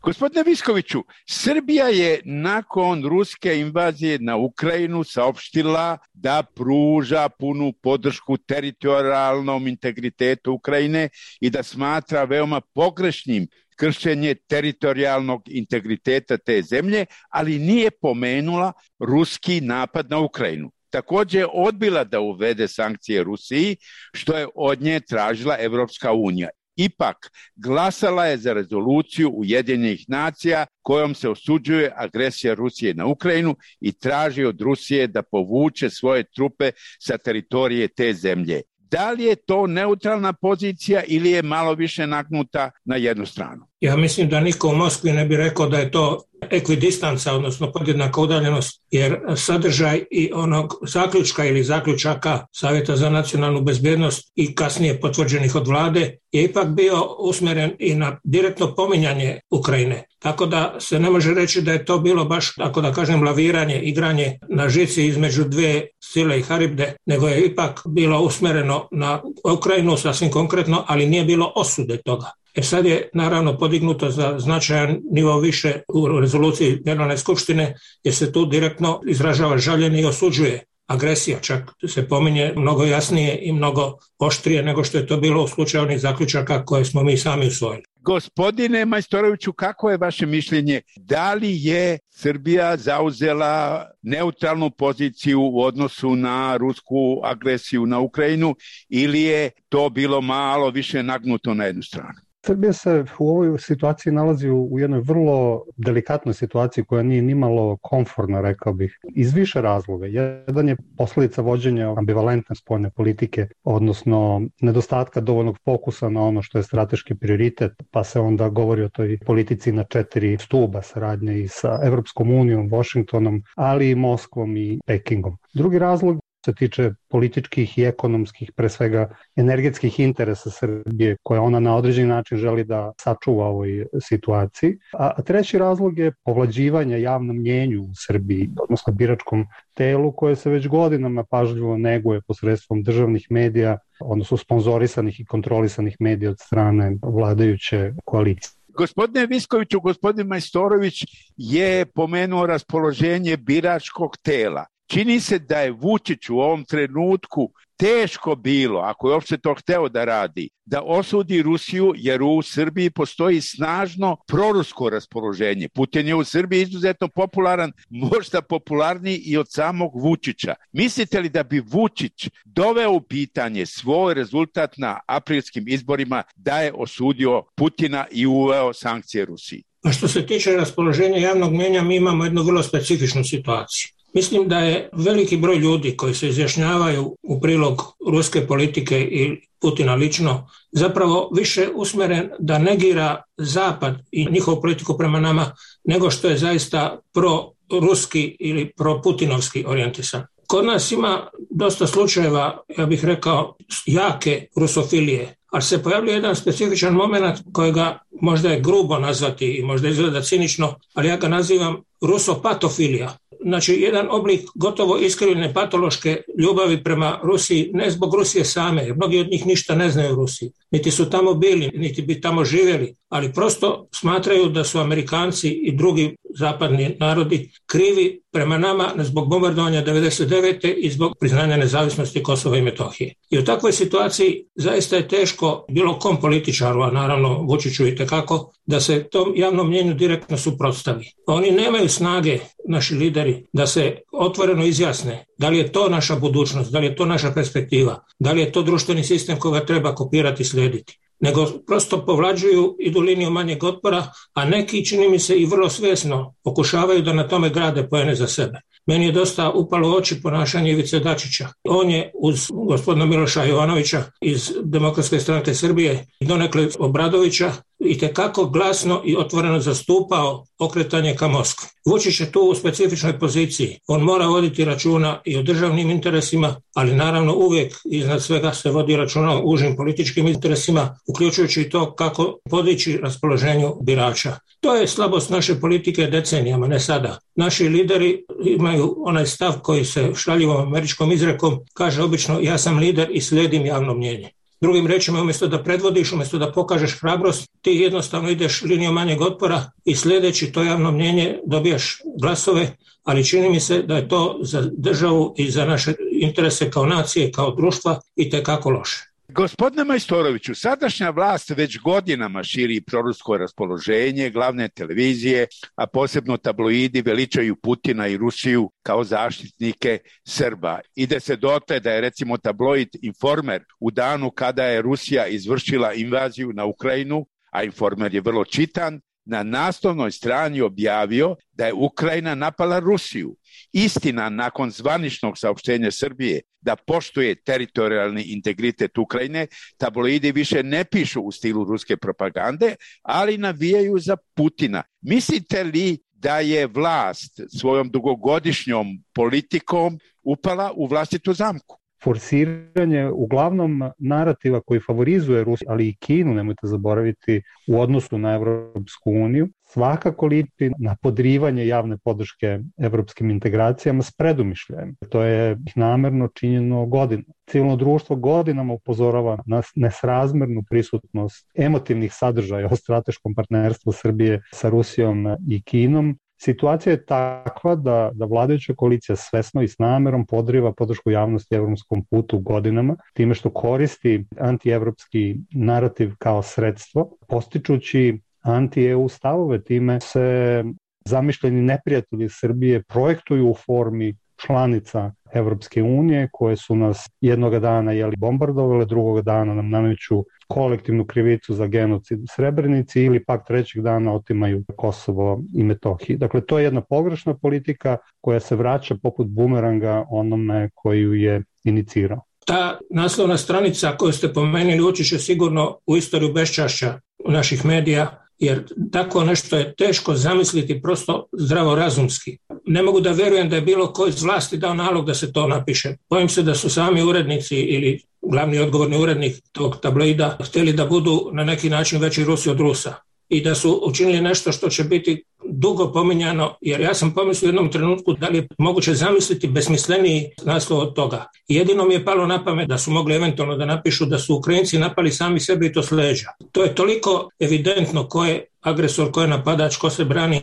Gospodine Viskoviću, Srbija je nakon ruske invazije na Ukrajinu saopštila da pruža punu podršku teritorijalnom integritetu Ukrajine i da smatra veoma pogrešnim kršenje teritorijalnog integriteta te zemlje, ali nije pomenula ruski napad na Ukrajinu. Također je odbila da uvede sankcije Rusiji, što je od nje tražila Evropska unija. Ipak, glasala je za rezoluciju Ujedinjenih nacija kojom se osuđuje agresija Rusije na Ukrajinu i traži od Rusije da povuče svoje trupe sa teritorije te zemlje. Da li je to neutralna pozicija ili je malo više nagnuta na jednu stranu? Ja mislim da niko u Moskvi ne bi rekao da je to ekvidistanca, odnosno podjednaka udaljenost, jer sadržaj i onog zaključka ili zaključaka Savjeta za nacionalnu bezbjednost i kasnije potvrđenih od vlade je ipak bio usmjeren i na direktno pominjanje Ukrajine. Tako da se ne može reći da je to bilo baš, tako da kažem, laviranje, igranje na žici između dvije sile i haribde, nego je ipak bilo usmjereno na Ukrajinu sasvim konkretno, ali nije bilo osude toga. Sad je naravno podignuto za značajan nivo više u rezoluciji Generalne skupštine, jer se tu direktno izražava žaljenje i osuđuje agresija, čak se pominje mnogo jasnije i mnogo oštrije nego što je to bilo u slučaju onih zaključaka koje smo mi sami usvojili. Gospodine Majstoroviću, kako je vaše mišljenje? Da li je Srbija zauzela neutralnu poziciju u odnosu na rusku agresiju na Ukrajinu ili je to bilo malo više nagnuto na jednu stranu? Srbija se u ovoj situaciji nalazi u jednoj vrlo delikatnoj situaciji koja nije nimalo komfortna, rekao bih, iz više razloga. Jedan je posljedica vođenja ambivalentne spoljne politike, odnosno nedostatka dovoljnog fokusa na ono što je strateški prioritet, pa se onda govori o toj politici na 4 stuba saradnje i sa Evropskom unijom, Washingtonom, ali i Moskvom i Pekingom. Drugi razlog se tiče političkih i ekonomskih, pre svega energetskih interesa Srbije, koje ona na određeni način želi da sačuva u ovoj situaciji. A treći razlog je povlađivanje javnom mnjenju u Srbiji, odnosno biračkom telu, koje se već godinama pažljivo neguje posredstvom državnih medija, odnosno sponzorisanih i kontrolisanih medija od strane vladajuće koalicije. Gospodine Viskoviću, gospodin Majstorović je pomenuo raspoloženje biračkog tela. Čini se da je Vučić u ovom trenutku teško bilo, ako je uopšte to hteo da radi, da osudi Rusiju, jer u Srbiji postoji snažno prorusko raspoloženje. Putin je u Srbiji izuzetno popularan, možda popularniji i od samog Vučića. Mislite li da bi Vučić doveo u pitanje svoj rezultat na aprilskim izborima da je osudio Putina i uveo sankcije Rusiji? A što se tiče raspoloženja javnog mnijenja, mi imamo jednu vrlo specifičnu situaciju. Mislim da je veliki broj ljudi koji se izjašnjavaju u prilog ruske politike i Putina lično zapravo više usmeren da negira Zapad i njihovu politiku prema nama nego što je zaista pro-ruski ili pro-putinovski orijentisan. Kod nas ima dosta slučajeva, ja bih rekao, jake rusofilije, ali se pojavljuje jedan specifičan moment kojega možda je grubo nazvati i možda izgleda cinično, ali ja ga nazivam rusopatofilija. Znači, jedan oblik gotovo iskrivljene patološke ljubavi prema Rusiji, ne zbog Rusije same, jer mnogi od njih ništa ne znaju o Rusiji. Niti su tamo bili, niti bi tamo živjeli, ali prosto smatraju da su Amerikanci i drugi zapadni narodi krivi prema nama zbog bombardovanja 1999. i zbog priznanja nezavisnosti Kosova i Metohije. I u takvoj situaciji zaista je teško bilo kom političaru, a naravno Vučiću i tekako, da se tom javnom mnjenju direktno suprotstavi. Oni nemaju snage, naši lideri, da se otvoreno izjasne da li je to naša budućnost, da li je to naša perspektiva, da li je to društveni sistem koga treba kopirati i slijediti. Nego prosto povlađuju, idu liniju manjeg otpora, a neki, čini mi se, i vrlo svjesno pokušavaju da na tome grade poene za sebe. Meni je dosta upalo u oči ponašanje Ivice Dačića. On je uz gospodina Miloša Jovanovića iz Demokratske stranke Srbije i donekle Obradovića itekako glasno i otvoreno zastupao okretanje ka Moskvi. Vučić je tu u specifičnoj poziciji. On mora voditi računa i o državnim interesima, ali naravno uvijek iznad svega se vodi računa o užim političkim interesima, uključujući i to kako podići raspoloženju birača. To je slabost naše politike decenijama, ne sada. Naši lideri imaju onaj stav koji se šaljivom američkom izrekom kaže obično ja sam lider i slijedim javno mnjenje. Drugim rečima, umjesto da predvodiš, umjesto da pokažeš hrabrost, ti jednostavno ideš linijom manjeg otpora i sljedeći to javno mnjenje dobijaš glasove, ali čini mi se da je to za državu i za naše interese kao nacije, kao društva itekako loše. Gospodine Majstoroviću, sadašnja vlast već godinama širi prorusko raspoloženje, glavne televizije, a posebno tabloidi veličaju Putina i Rusiju kao zaštitnike Srba. Ide se dotle da je recimo tabloid Informer u danu kada je Rusija izvršila invaziju na Ukrajinu, a Informer je vrlo čitan, na naslovnoj strani objavio da je Ukrajina napala Rusiju. Istina, nakon zvaničnog saopštenja Srbije da poštuje teritorijalni integritet Ukrajine, tabloidi više ne pišu u stilu ruske propagande, ali navijaju za Putina. Mislite li da je vlast svojom dugogodišnjom politikom upala u vlastitu zamku? Forsiranje uglavnom narativa koji favorizuje Rusiju, ali i Kinu, nemojte zaboraviti, u odnosu na Evropsku uniju, svakako liči na podrivanje javne podrške evropskim integracijama s predumišljajem. To je namerno činjeno godinama. Civilno društvo godinama upozorava na nesrazmernu prisutnost emotivnih sadržaja o strateškom partnerstvu Srbije sa Rusijom i Kinom. Situacija je takva da vladajuća koalicija svesno i s namerom podriva podršku javnosti evropskom putu godinama, time što koristi antievropski narativ kao sredstvo, postičući anti-EU stavove, time se zamišljeni neprijatelji Srbije projektuju u formi članica Evropske unije koje su nas jednoga dana bombardovale, drugoga dana nam nameću kolektivnu krivicu za genocid u Srebrenici ili pak trećeg dana otimaju Kosovo i Metohiju. Dakle, to je jedna pogrešna politika koja se vraća poput bumeranga onome koju je inicirao. Ta naslovna stranica koju ste pomenuli ući će sigurno u istoriju beščašća naših medija, jer tako nešto je teško zamisliti prosto zdravorazumski. Ne mogu da verujem da je bilo ko iz vlasti dao nalog da se to napiše. Bojim se da su sami urednici ili glavni odgovorni urednik tog tabloida htjeli da budu na neki način veći Rusi od Rusa i da su učinili nešto što će biti dugo pominjano, jer ja sam pomislio u jednom trenutku da li je moguće zamisliti besmisleniji naslov od toga. Jedino mi je palo na pamet da su mogli eventualno da napišu da su Ukrajinci napali sami sebe i to s leđa. To je toliko evidentno ko je agresor, ko je napadač, ko se brani,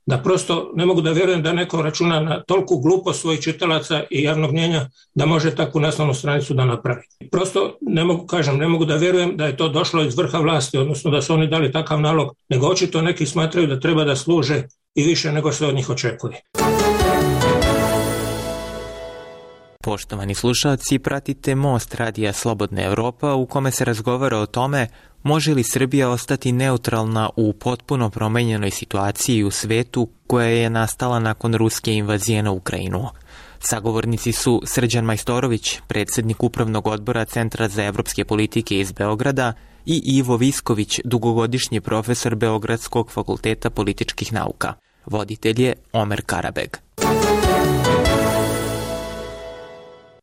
da prosto ne mogu da vjerujem da neko računa na toliku glupost svojih čitalaca i javnog mnjenja da može takvu naslovnu stranicu da napravi. Prosto ne mogu da vjerujem da je to došlo iz vrha vlasti, odnosno da su oni dali takav nalog, nego očito neki smatraju da treba da služe i više nego se od njih očekuje. Poštovani slušalci, pratite Most Radija Slobodna Evropa u kome se razgovara o tome može li Srbija ostati neutralna u potpuno promenjenoj situaciji u svetu koja je nastala nakon ruske invazije na Ukrajinu. Sagovornici su Srđan Majstorović, predsjednik Upravnog odbora Centra za evropske politike iz Beograda, i Ivo Visković, dugogodišnji profesor Beogradskog fakulteta političkih nauka. Voditelj je Omer Karabeg.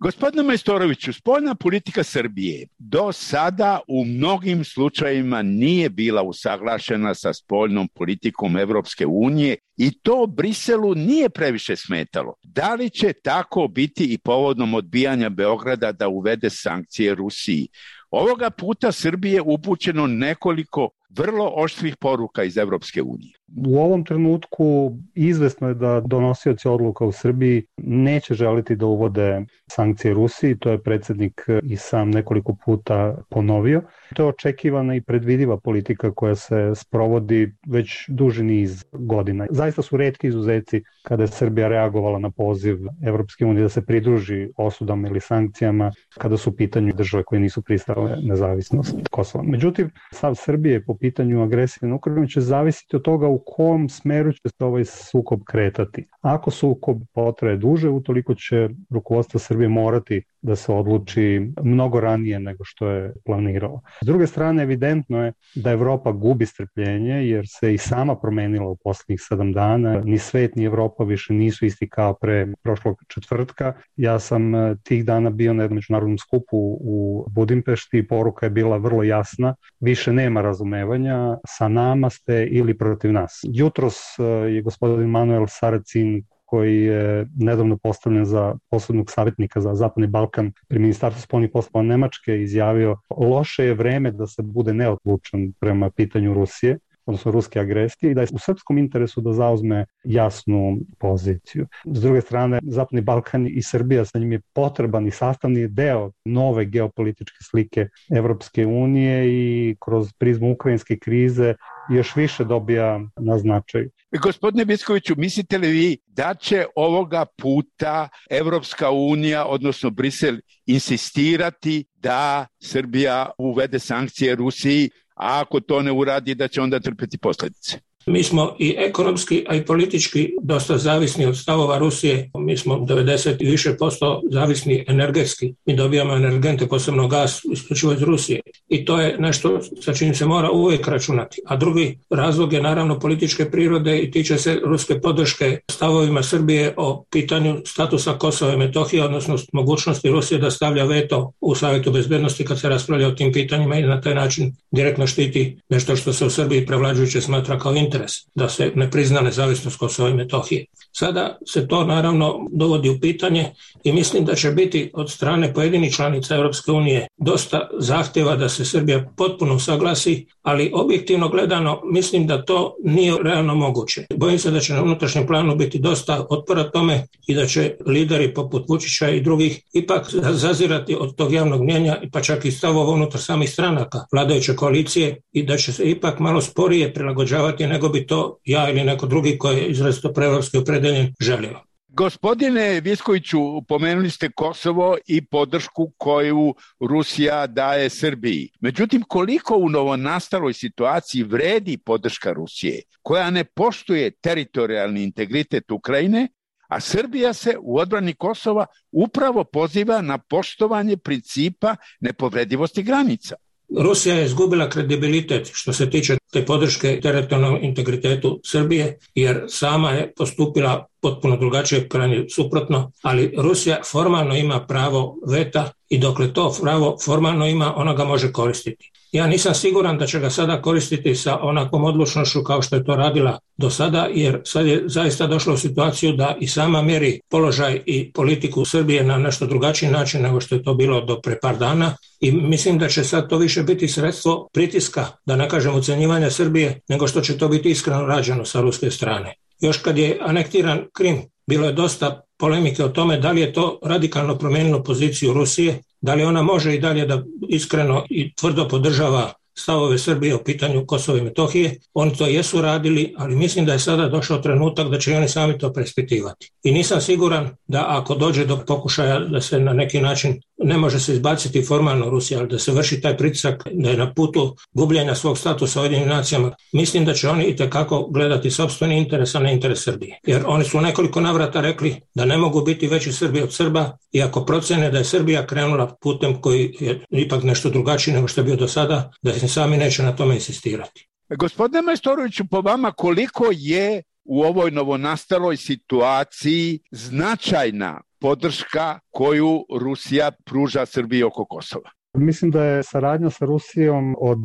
Gospodine Majstoroviću, spoljna politika Srbije do sada u mnogim slučajevima nije bila usaglašena sa spoljnom politikom Evropske unije i to Briselu nije previše smetalo. Da li će tako biti i povodom odbijanja Beograda da uvede sankcije Rusiji? Ovoga puta Srbije je upućeno nekoliko vrlo oštrih poruka iz Evropske unije. U ovom trenutku izvesno je da donosioci odluka u Srbiji neće želiti da uvode sankcije Rusiji, to je predsjednik i sam nekoliko puta ponovio. To je očekivana i predvidiva politika koja se sprovodi već duži niz godina. Zaista su retki izuzeci kada je Srbija reagovala na poziv Evropske unije da se pridruži osudama ili sankcijama kada su u pitanju države koje nisu pristale nezavisnost Kosova. Međutim, stav Srbije po pitanju agresije na Ukrajinu će zavisiti od toga u kom smeru će se ovaj sukob kretati. Ako sukob potraje duže, utoliko će rukovodstvo Srbije morati da se odluči mnogo ranije nego što je planiralo. S druge strane, evidentno je da Evropa gubi strpljenje jer se i sama promenila u posljednjih 7 dana. Ni svet ni Evropa više nisu isti kao pre prošlog četvrtka. Ja sam tih dana bio na jednom međunarodnom skupu u Budimpešti i poruka je bila vrlo jasna. Više nema razumevanja, sa nama ste ili protiv nas. Jutros je gospodin Manuel Saracin, koji je nedavno postavljen za posebnog savjetnika za Zapadni Balkan pri Ministarstvu spoljnih poslova Nemačke, izjavio loše je vreme da se bude neodlučan prema pitanju Rusije, odnosno ruske agresije, i da je u srpskom interesu da zauzme jasnu poziciju. S druge strane, Zapadni Balkan i Srbija, sa njim je potreban i sastavni deo nove geopolitičke slike Evropske unije i kroz prizmu ukrajinske krize još više dobija na značaju. Gospodine Viskoviću, mislite li vi da će ovoga puta Evropska unija, odnosno Brisel, insistirati da Srbija uvede sankcije Rusiji, a ako to ne uradi da će onda trpeti posljedice? Mi smo i ekonomski, a i politički dosta zavisni od stavova Rusije. Mi smo 90 i više % zavisni energetski. Mi dobijamo energente, posebno gas, isključivo iz Rusije. I to je nešto sa čim se mora uvijek računati. A drugi razlog je naravno političke prirode i tiče se ruske podrške stavovima Srbije o pitanju statusa Kosova i Metohije, odnosno mogućnosti Rusije da stavlja veto u Savjetu bezbednosti kad se raspravlja o tim pitanjima i na taj način direktno štiti nešto što se u Srbiji prevlađujuće smatra kao interes, da se ne prizna nezavisnost Kosova i Metohije. Sada se to naravno dovodi u pitanje i mislim da će biti od strane pojedinih članica Europske unije dosta zahtjeva da se Srbija potpuno usaglasi, ali objektivno gledano mislim da to nije realno moguće. Bojim se da će na unutrašnjem planu biti dosta otpora tome i da će lideri poput Vučića i drugih ipak zazirati od tog javnog mnijenja, pa čak i stavova unutar samih stranaka vladajuće koalicije, i da će se ipak malo sporije prilagođavati nego bi to ja ili neko drugi koji je izrazito proevropski opredeljen želio. Gospodine Viskoviću, pomenuli ste Kosovo i podršku koju Rusija daje Srbiji. Međutim, koliko u novonastaloj situaciji vredi podrška Rusije, koja ne poštuje teritorijalni integritet Ukrajine, a Srbija se u odbrani Kosova upravo poziva na poštovanje principa nepovredivosti granica? Rusija je izgubila kredibilitet što se tiče te podrške teritorijalnom integritetu Srbije, jer sama je postupila potpuno drugačije, krajnje suprotno, ali Rusija formalno ima pravo veta i dokle to pravo formalno ima, ona ga može koristiti. Ja nisam siguran da će ga sada koristiti sa onakvom odlučnošću kao što je to radila do sada, jer sad je zaista došla u situaciju da i sama mjeri položaj i politiku Srbije na nešto drugačiji način nego što je to bilo do pre par dana i mislim da će sad to više biti sredstvo pritiska, da ne kažem ucenjivanja Srbije, nego što će to biti iskreno rađeno sa ruske strane. Još kad je anektiran Krim, bilo je dosta polemike o tome da li je to radikalno promijenilo poziciju Rusije, da li ona može i dalje da iskreno i tvrdo podržava stavove Srbije o pitanju Kosova i Metohije. Oni to jesu radili, ali mislim da je sada došao trenutak da će oni sami to preispitivati. I nisam siguran da ako dođe do pokušaja da se na neki način, ne može se izbaciti formalno Rusija, ali da se vrši taj pritisak, da je na putu gubljenja svog statusa u Ujedinjenim nacijama, mislim da će oni itekako gledati sopstveni interes, a ne interes Srbije. Jer oni su nekoliko navrata rekli da ne mogu biti veći Srbi od Srba i ako procene da je Srbija krenula putem koji je ipak nešto drugačiji nego što je bio do sada, da se sami neće na tome insistirati. Gospodine Majstoroviću, po vama koliko je u ovoj novonastaloj situaciji značajna podrška koju Rusija pruža Srbiji oko Kosova? Mislim da je saradnja sa Rusijom od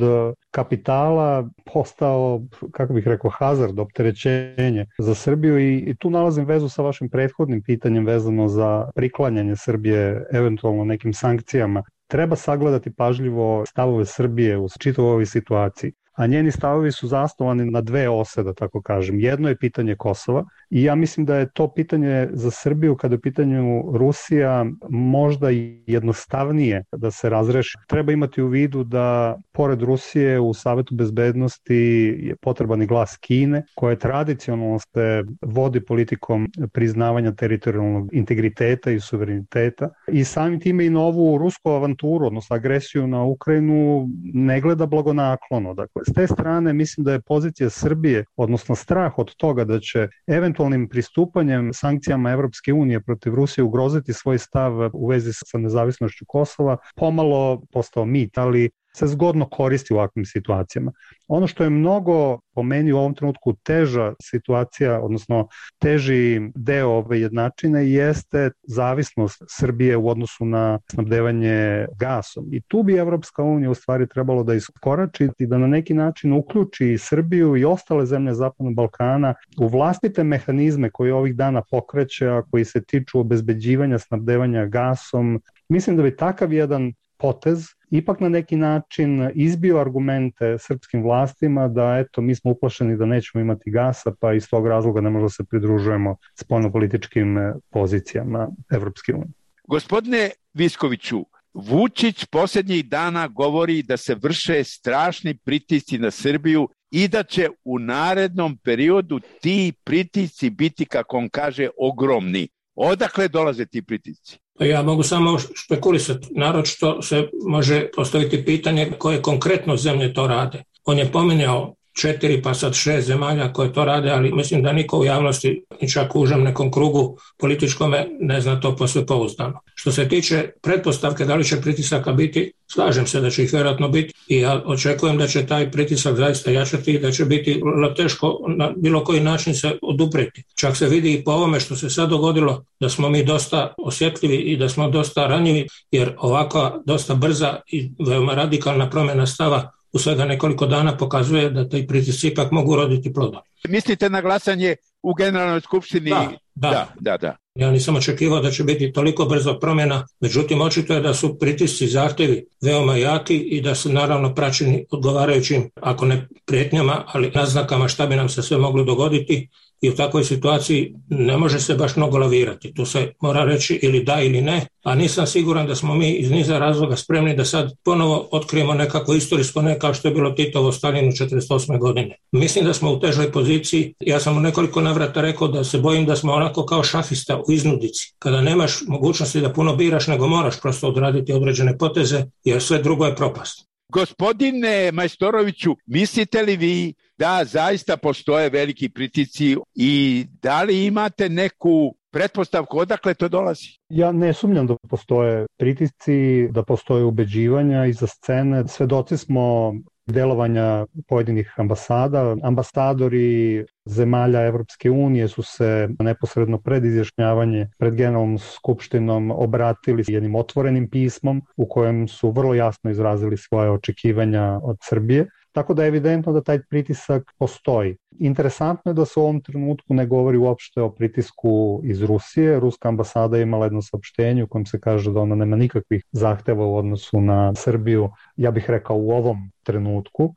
kapitala postao, kako bih rekao, hazard, opterećenje za Srbiju i tu nalazim vezu sa vašim prethodnim pitanjem vezano za priklanjanje Srbije eventualno nekim sankcijama. Treba sagledati pažljivo stavove Srbije u čitavoj ovoj situaciji, a njeni stavovi su zasnovani na dve ose, da tako kažem. Jedno je pitanje Kosova i ja mislim da je to pitanje za Srbiju, kada je u pitanju Rusija, možda i jednostavnije da se razreši. Treba imati u vidu da pored Rusije u Savetu bezbednosti je potreban i glas Kine, koja tradicionalno se vodi politikom priznavanja teritorijalnog integriteta i suvereniteta i samim time i novu rusku avanturu, odnosno agresiju na Ukrajinu, ne gleda blagonaklono. Dakle, s te strane mislim da je pozicija Srbije, odnosno strah od toga da će eventualnim pristupanjem sankcijama Evropske unije protiv Rusije ugroziti svoj stav u vezi sa nezavisnošću Kosova, pomalo postao mit, ali se zgodno koristi u ovakvim situacijama. Ono što je mnogo po meni u ovom trenutku teža situacija, odnosno teži deo ove jednačine jeste zavisnost Srbije u odnosu na snabdevanje gasom. I tu bi Evropska unija u stvari trebalo da iskorači i da na neki način uključi Srbiju i ostale zemlje Zapadnog Balkana u vlastite mehanizme koje ovih dana pokreće, a koji se tiču obezbeđivanja snabdevanja gasom. Mislim da bi takav jedan potez ipak na neki način izbio argumente srpskim vlastima da eto mi smo uplašeni da nećemo imati gasa, pa iz tog razloga ne možemo se pridružujemo spoljnopolitičkim pozicijama Evropske unije. Gospodine Viskoviću, Vučić posljednjih dana govori da se vrše strašni pritisci na Srbiju i da će u narednom periodu ti pritisci biti, kako on kaže, ogromni. Odakle dolaze ti pritisci? Ja mogu samo špekulisati. Naročito se može postaviti pitanje koje konkretno zemlje to rade. On je pominjao 4 pa sad 6 zemalja koje to rade, ali mislim da niko u javnosti, ni čak u užem nekom krugu političkome, ne zna to posve pouzdano. Što se tiče pretpostavke da li će pritisaka biti, slažem se da će ih vjerojatno biti i ja očekujem da će taj pritisak zaista jačati i da će biti teško na bilo koji način se odupreti. Čak se vidi i po ovome što se sad dogodilo da smo mi dosta osjetljivi i da smo dosta ranjivi, jer ovakva dosta brza i veoma radikalna promjena stava u svega nekoliko dana pokazuje da taj pritisci ipak mogu roditi plodom. Mislite na glasanje u Generalnoj skupštini? Da. Ja nisam očekivao da će biti toliko brzo promjena, međutim očito je da su pritisci, zahtjevi veoma jaki i da su naravno praćeni odgovarajućim, ako ne prijetnjama, ali naznakama šta bi nam se sve moglo dogoditi i u takvoj situaciji ne može se baš mnogo lavirati. Tu se mora reći ili da ili ne, a nisam siguran da smo mi iz niza razloga spremni da sad ponovo otkrijemo nekako istorijsko ne kao što je bilo Titovo Staljinu 1948. godine. Mislim da smo u težoj poziciji. Ja sam u nekoliko navrata rekao da se bojim da smo onako kao šahista u iznudici. Kada nemaš mogućnosti da puno biraš, nego moraš prosto odraditi određene poteze, jer sve drugo je propast. Gospodine Majstoroviću, mislite li vi da zaista postoje veliki pritisci i da li imate neku pretpostavku odakle to dolazi? Ja ne sumnjam da postoje pritisci, da postoje ubeđivanja iza scene. Svedoci smo delovanja pojedinih ambasada. Ambasadori zemalja Evropske unije su se neposredno pred izjašnjavanje pred Generalnom skupštinom obratili jednim otvorenim pismom u kojem su vrlo jasno izrazili svoje očekivanja od Srbije. Tako da je evidentno da taj pritisak postoji. Interesantno je da se u ovom trenutku ne govori uopšte o pritisku iz Rusije. Ruska ambasada je imala jedno saopštenje u kojem se kaže da ona nema nikakvih zahteva u odnosu na Srbiju. Ja bih rekao u ovom trenutku.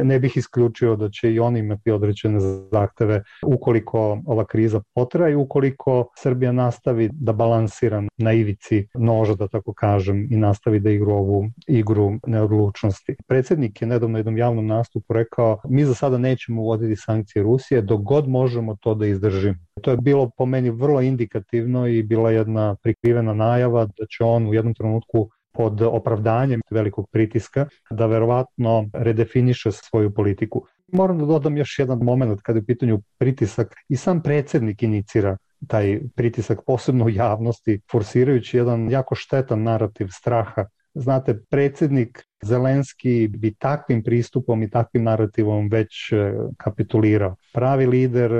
Ne bih isključio da će i oni imati određene zahteve ukoliko ova kriza potraje i ukoliko Srbija nastavi da balansira na ivici noža, da tako kažem, i nastavi da igra ovu igru neodlučnosti. Predsjednik je nedavno u jednom javnom nastupu rekao: mi za sada nećemo uvoditi sankcije Rusije dok god možemo to da izdržimo. To je bilo po meni vrlo indikativno i bila jedna prikrivena najava da će on u jednom trenutku pod opravdanjem velikog pritiska da verovatno redefiniše svoju politiku. Moram da dodam još jedan moment kada je u pitanju pritisak. I sam predsjednik inicira taj pritisak, posebno u javnosti, forsirajući jedan jako štetan narativ straha. Znate, predsjednik Zelenski bi takvim pristupom i takvim narativom već kapitulirao. Pravi lider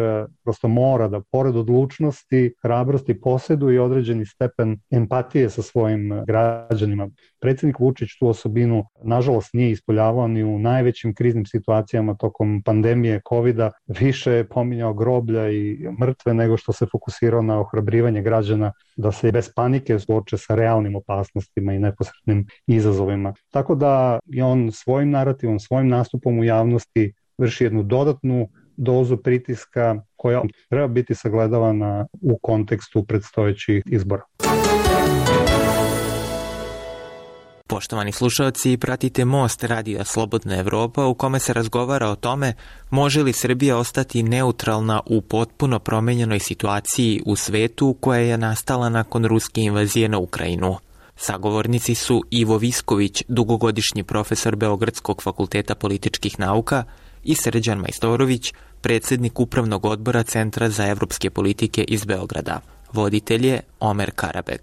prosto mora da, pored odlučnosti, hrabrosti, posjeduje određeni stepen empatije sa svojim građanima. Predsjednik Vučić tu osobinu, nažalost, nije ispoljavao ni u najvećim kriznim situacijama tokom pandemije COVID-a. Više je pominjao groblja i mrtve nego što se fokusirao na ohrabrivanje građana da se bez panike suoče sa realnim opasnostima i neposrednim izazovima. Tako da je on svojim narativom, svojim nastupom u javnosti vrši jednu dodatnu dozu pritiska koja treba biti sagledavana u kontekstu predstojećih izbora. Poštovani slušalci, pratite Most radija Slobodna Evropa u kome se razgovara o tome može li Srbija ostati neutralna u potpuno promenjenoj situaciji u svetu koja je nastala nakon ruske invazije na Ukrajinu. Sagovornici su Ivo Visković, dugogodišnji profesor Beogradskog fakulteta političkih nauka, i Srđan Majstorović, predsjednik Upravnog odbora Centra za evropske politike iz Beograda. Voditelj je Omer Karabeg.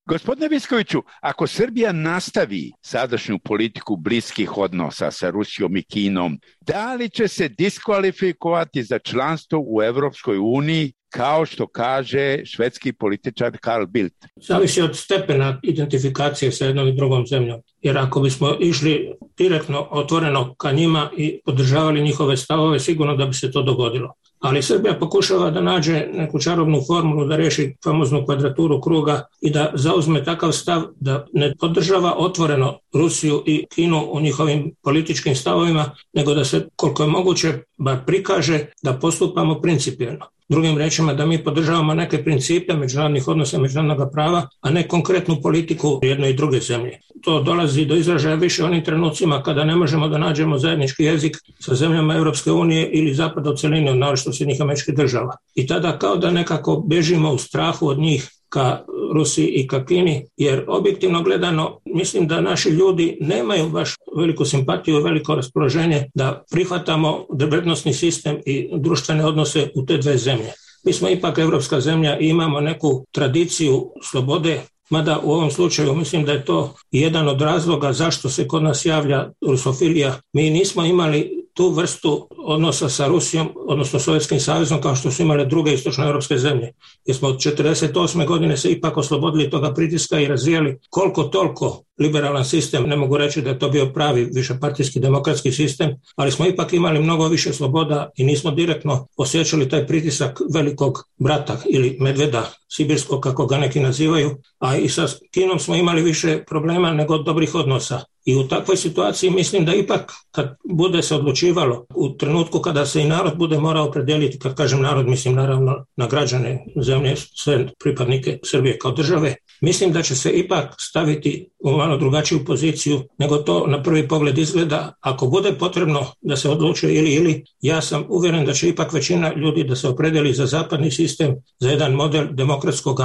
Gospodine Viskoviću, ako Srbija nastavi sadašnju politiku bliskih odnosa sa Rusijom i Kinom, da li će se diskvalifikovati za članstvo u Evropskoj uniji, kao što kaže švedski političar Carl Bildt? Zavisi od stepena identifikacije sa jednom i drugom zemljom. Jer ako bismo išli direktno, otvoreno ka njima i podržavali njihove stavove, sigurno da bi se to dogodilo. Ali Srbija pokušava da nađe neku čarobnu formulu da riješi famoznu kvadraturu kruga i da zauzme takav stav da ne podržava otvoreno Rusiju i Kinu u njihovim političkim stavovima, nego da se koliko je moguće bar prikaže da postupamo principijelno. Drugim rečima, da mi podržavamo neke principe međunarodnih odnosa, međunarodnog prava, a ne konkretnu politiku jedne i druge zemlje. To dolazi do izražaja više onim trenucima kada ne možemo da nađemo zajednički jezik sa zemljama Europske unije ili zapada u celini, naročito Sjedinjenih Američkih Država. I tada kao da nekako bežimo u strahu od njih ka Rusiji i ka Kini, jer objektivno gledano mislim da naši ljudi nemaju baš veliku simpatiju i veliko raspoloženje da prihvatamo vrednosni sistem i društvene odnose u te dve zemlje. Mi smo ipak evropska zemlja i imamo neku tradiciju slobode, mada u ovom slučaju mislim da je to jedan od razloga zašto se kod nas javlja rusofilija. Mi nismo imali tu vrstu odnosa sa Rusijom, odnosno Sovjetskim savezom, kao što su imale druge istočnoevropske zemlje. Jer smo od 1948. godine se ipak oslobodili toga pritiska i razvijali koliko toliko liberalan sistem. Ne mogu reći da je to bio pravi višepartijski demokratski sistem, ali smo ipak imali mnogo više sloboda i nismo direktno osjećali taj pritisak velikog brata ili medveda sibirskog, kako ga neki nazivaju, a i sa Kinom smo imali više problema nego dobrih odnosa. I u takvoj situaciji mislim da ipak kad bude se odlučivalo u trenutku kada se i narod bude morao opredijeliti, kad kažem narod mislim naravno na građane zemlje, sve pripadnike Srbije kao države, mislim da će se ipak staviti u malo drugačiju poziciju nego to na prvi pogled izgleda. Ako bude potrebno da se odlučuje ili, ja sam uvjeren da će ipak većina ljudi da se opredeli za zapadni sistem, za jedan model demokratskog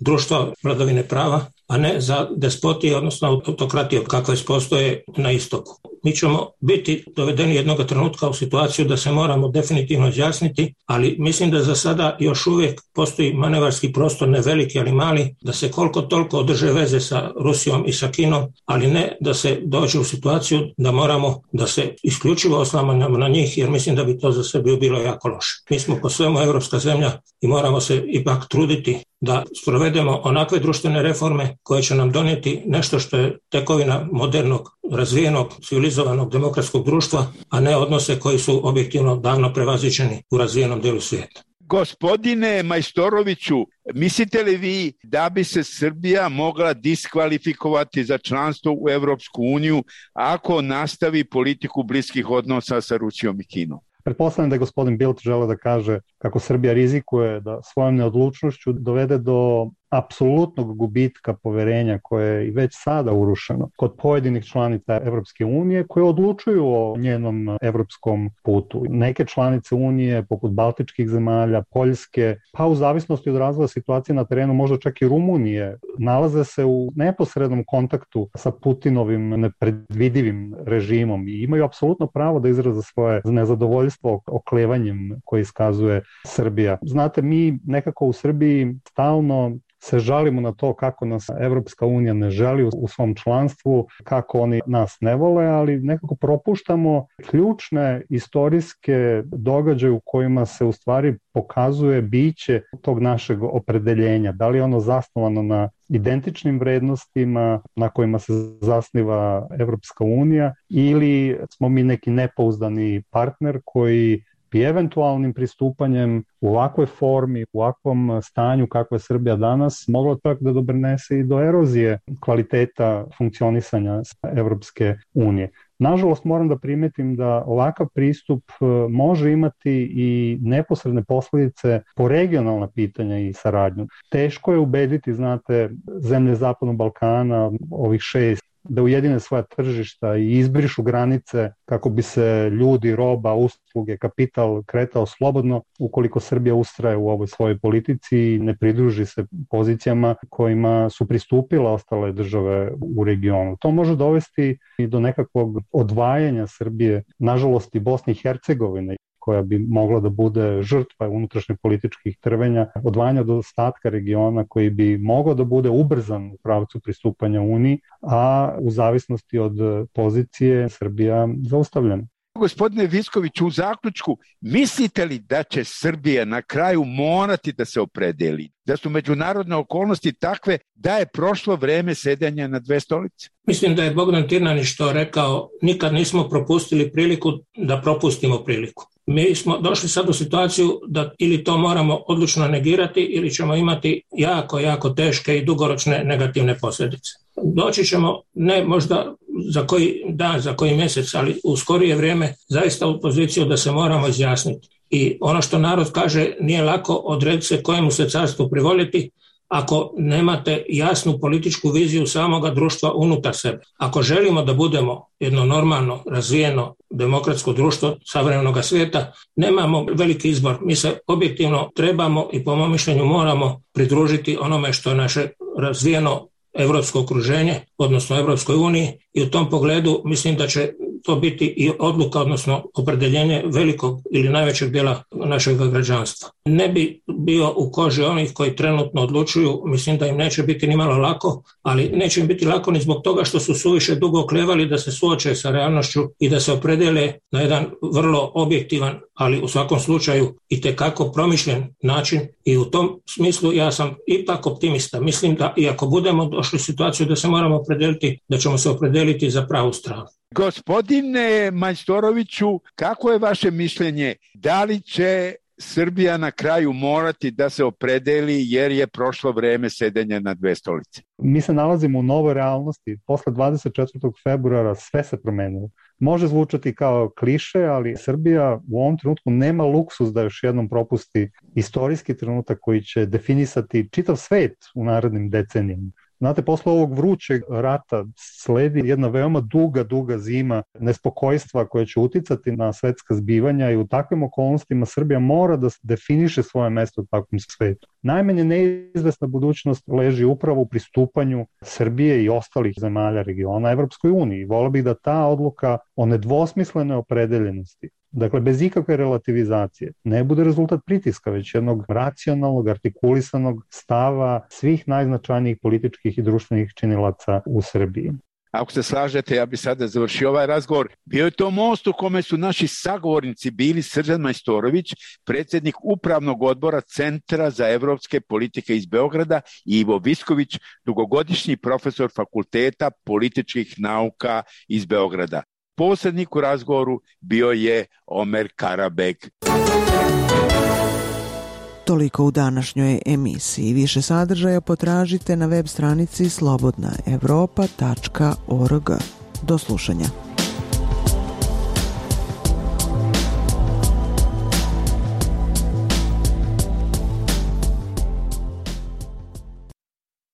društva vladavine prava, a ne za despotije, odnosno autokratije kakve postoje na istoku. mi ćemo biti dovedeni jednog trenutka u situaciju da se moramo definitivno izjasniti, ali mislim da za sada još uvijek postoji manevarski prostor, ne veliki ali mali, da se koliko toliko održe veze sa Rusijom i sa Kinom, ali ne da se dođe u situaciju da moramo da se isključivo oslanjamo na njih, jer mislim da bi to za Srbiju bilo jako loše. Mi smo po svemu evropska zemlja i moramo se ipak truditi da sprovedemo onakve društvene reforme koje će nam donijeti nešto što je tekovina modernog, razvijenog, civilizovanog demokratskog društva, a ne odnose koji su objektivno davno prevaziđeni u razvijenom dijelu svijeta. Gospodine Majstoroviću, mislite li vi da bi se Srbija mogla diskvalifikovati za članstvo u Evropsku uniju ako nastavi politiku bliskih odnosa sa Rusijom i Kinom? Pretpostavljam da je gospodin Bildt želeo da kaže kako Srbija rizikuje da svojom neodlučnošću dovede do apsolutnog gubitka poverenja koje je i već sada urušeno kod pojedinih članica Evropske unije koje odlučuju o njenom evropskom putu. Neke članice unije, poput Baltičkih zemalja, Poljske, pa u zavisnosti od razvoja situacije na terenu, možda čak i Rumunije, nalaze se u neposrednom kontaktu sa Putinovim nepredvidivim režimom i imaju apsolutno pravo da izraze svoje nezadovoljstvo oklevanjem koje iskazuje Srbija. Znate, mi nekako u Srbiji stalno se žalimo na to kako nas Evropska unija ne želi u svom članstvu, kako oni nas ne vole, ali nekako propuštamo ključne istorijske događaje u kojima se u stvari pokazuje biće tog našeg opredeljenja. Da li je ono zasnovano na identičnim vrednostima na kojima se zasniva Evropska unija ili smo mi neki nepouzdani partner koji bi eventualnim pristupanjem u ovakvoj formi, u ovakvom stanju kakva je Srbija danas, moglo čak da doprinese i do erozije kvaliteta funkcionisanja Evropske unije. Nažalost, moram da primetim da ovakav pristup može imati i neposredne posljedice po regionalna pitanja i saradnju. Teško je ubediti, znate, zemlje Zapadnog Balkana, ovih 6, da ujedine svoja tržišta i izbrišu granice kako bi se ljudi, roba, usluge, kapital kretao slobodno ukoliko Srbija ustraje u ovoj svojoj politici i ne pridruži se pozicijama kojima su pristupile ostale države u regionu. To može dovesti i do nekakvog odvajanja Srbije, nažalost i Bosne i Hercegovine, koja bi mogla da bude žrtva unutrašnjih političkih trvenja, odvajanja od ostatka regiona koji bi mogao da bude ubrzan u pravcu pristupanja Uniji, a u zavisnosti od pozicije Srbija zaustavljena. Gospodine Viskoviću, u zaključku, mislite li da će Srbija na kraju morati da se opredeli? Da su međunarodne okolnosti takve da je prošlo vreme sedenja na dve stolice? Mislim da je Bogdan Tirnanić to rekao, nikad nismo propustili priliku da propustimo priliku. Mi smo došli sad u situaciju da ili to moramo odlučno negirati ili ćemo imati jako, jako teške i dugoročne negativne posljedice. Doći ćemo, ne možda za koji dan, za koji mjesec, ali u skorije vrijeme zaista u poziciju da se moramo izjasniti. I ono što narod kaže, nije lako odrediti se kojemu se carstvu privoljeti ako nemate jasnu političku viziju samoga društva unutar sebe. Ako želimo da budemo jedno normalno, razvijeno, demokratsko društvo savremenog svijeta, nemamo veliki izbor. Mi se objektivno trebamo i po mom mišljenju moramo pridružiti onome što je naše razvijeno evropsko okruženje, odnosno Evropskoj uniji, i u tom pogledu mislim da će to biti i odluka, odnosno opredeljenje velikog ili najvećeg dijela našeg građanstva. Ne bi bio u koži onih koji trenutno odlučuju, mislim da im neće biti ni malo lako, ali neće im biti lako ni zbog toga što su suviše dugo oklevali da se suoče sa realnošću i da se opredele na jedan vrlo objektivan, ali u svakom slučaju itekako promišljen način, i u tom smislu ja sam ipak optimista. Mislim da i ako budemo došli u situaciju da se moramo opredeliti, da ćemo se opredeliti za pravu stranu. Gospodine Majstoroviću, kako je vaše mišljenje? Da li će Srbija na kraju morati da se opredeli jer je prošlo vreme sedenja na dve stolice? Mi se nalazimo u novoj realnosti. Posle 24. februara sve se promenilo. Može zvučati kao kliše, ali Srbija u ovom trenutku nema luksus da još jednom propusti istorijski trenutak koji će definisati čitav svet u narednim decenijama. Znate, posle ovog vrućeg rata sledi jedna veoma duga zima nespokojstva koja će uticati na svetska zbivanja i u takvim okolnostima Srbija mora da definiše svoje mesto u takvom svetu. Najmanje neizvesna budućnost leži upravo u pristupanju Srbije i ostalih zemalja regiona Evropskoj uniji. Voleo bih da ta odluka o nedvosmislenoj opredeljenosti, dakle bez ikakve relativizacije, ne bude rezultat pritiska, već jednog racionalnog, artikulisanog stava svih najznačajnijih političkih i društvenih činilaca u Srbiji. Ako se slažete, ja bih sada završio ovaj razgovor. Bio je to most u kome su naši sagovornici bili Srđan Majstorović, predsjednik Upravnog odbora Centra za evropske politike iz Beograda, i Ivo Visković, dugogodišnji profesor Fakulteta političkih nauka iz Beograda. Posrednik u razgovoru bio je Omer Karabeg. Toliko u današnjoj emisiji. Više sadržaja potražite na web stranici slobodnaevropa.org. Do slušanja.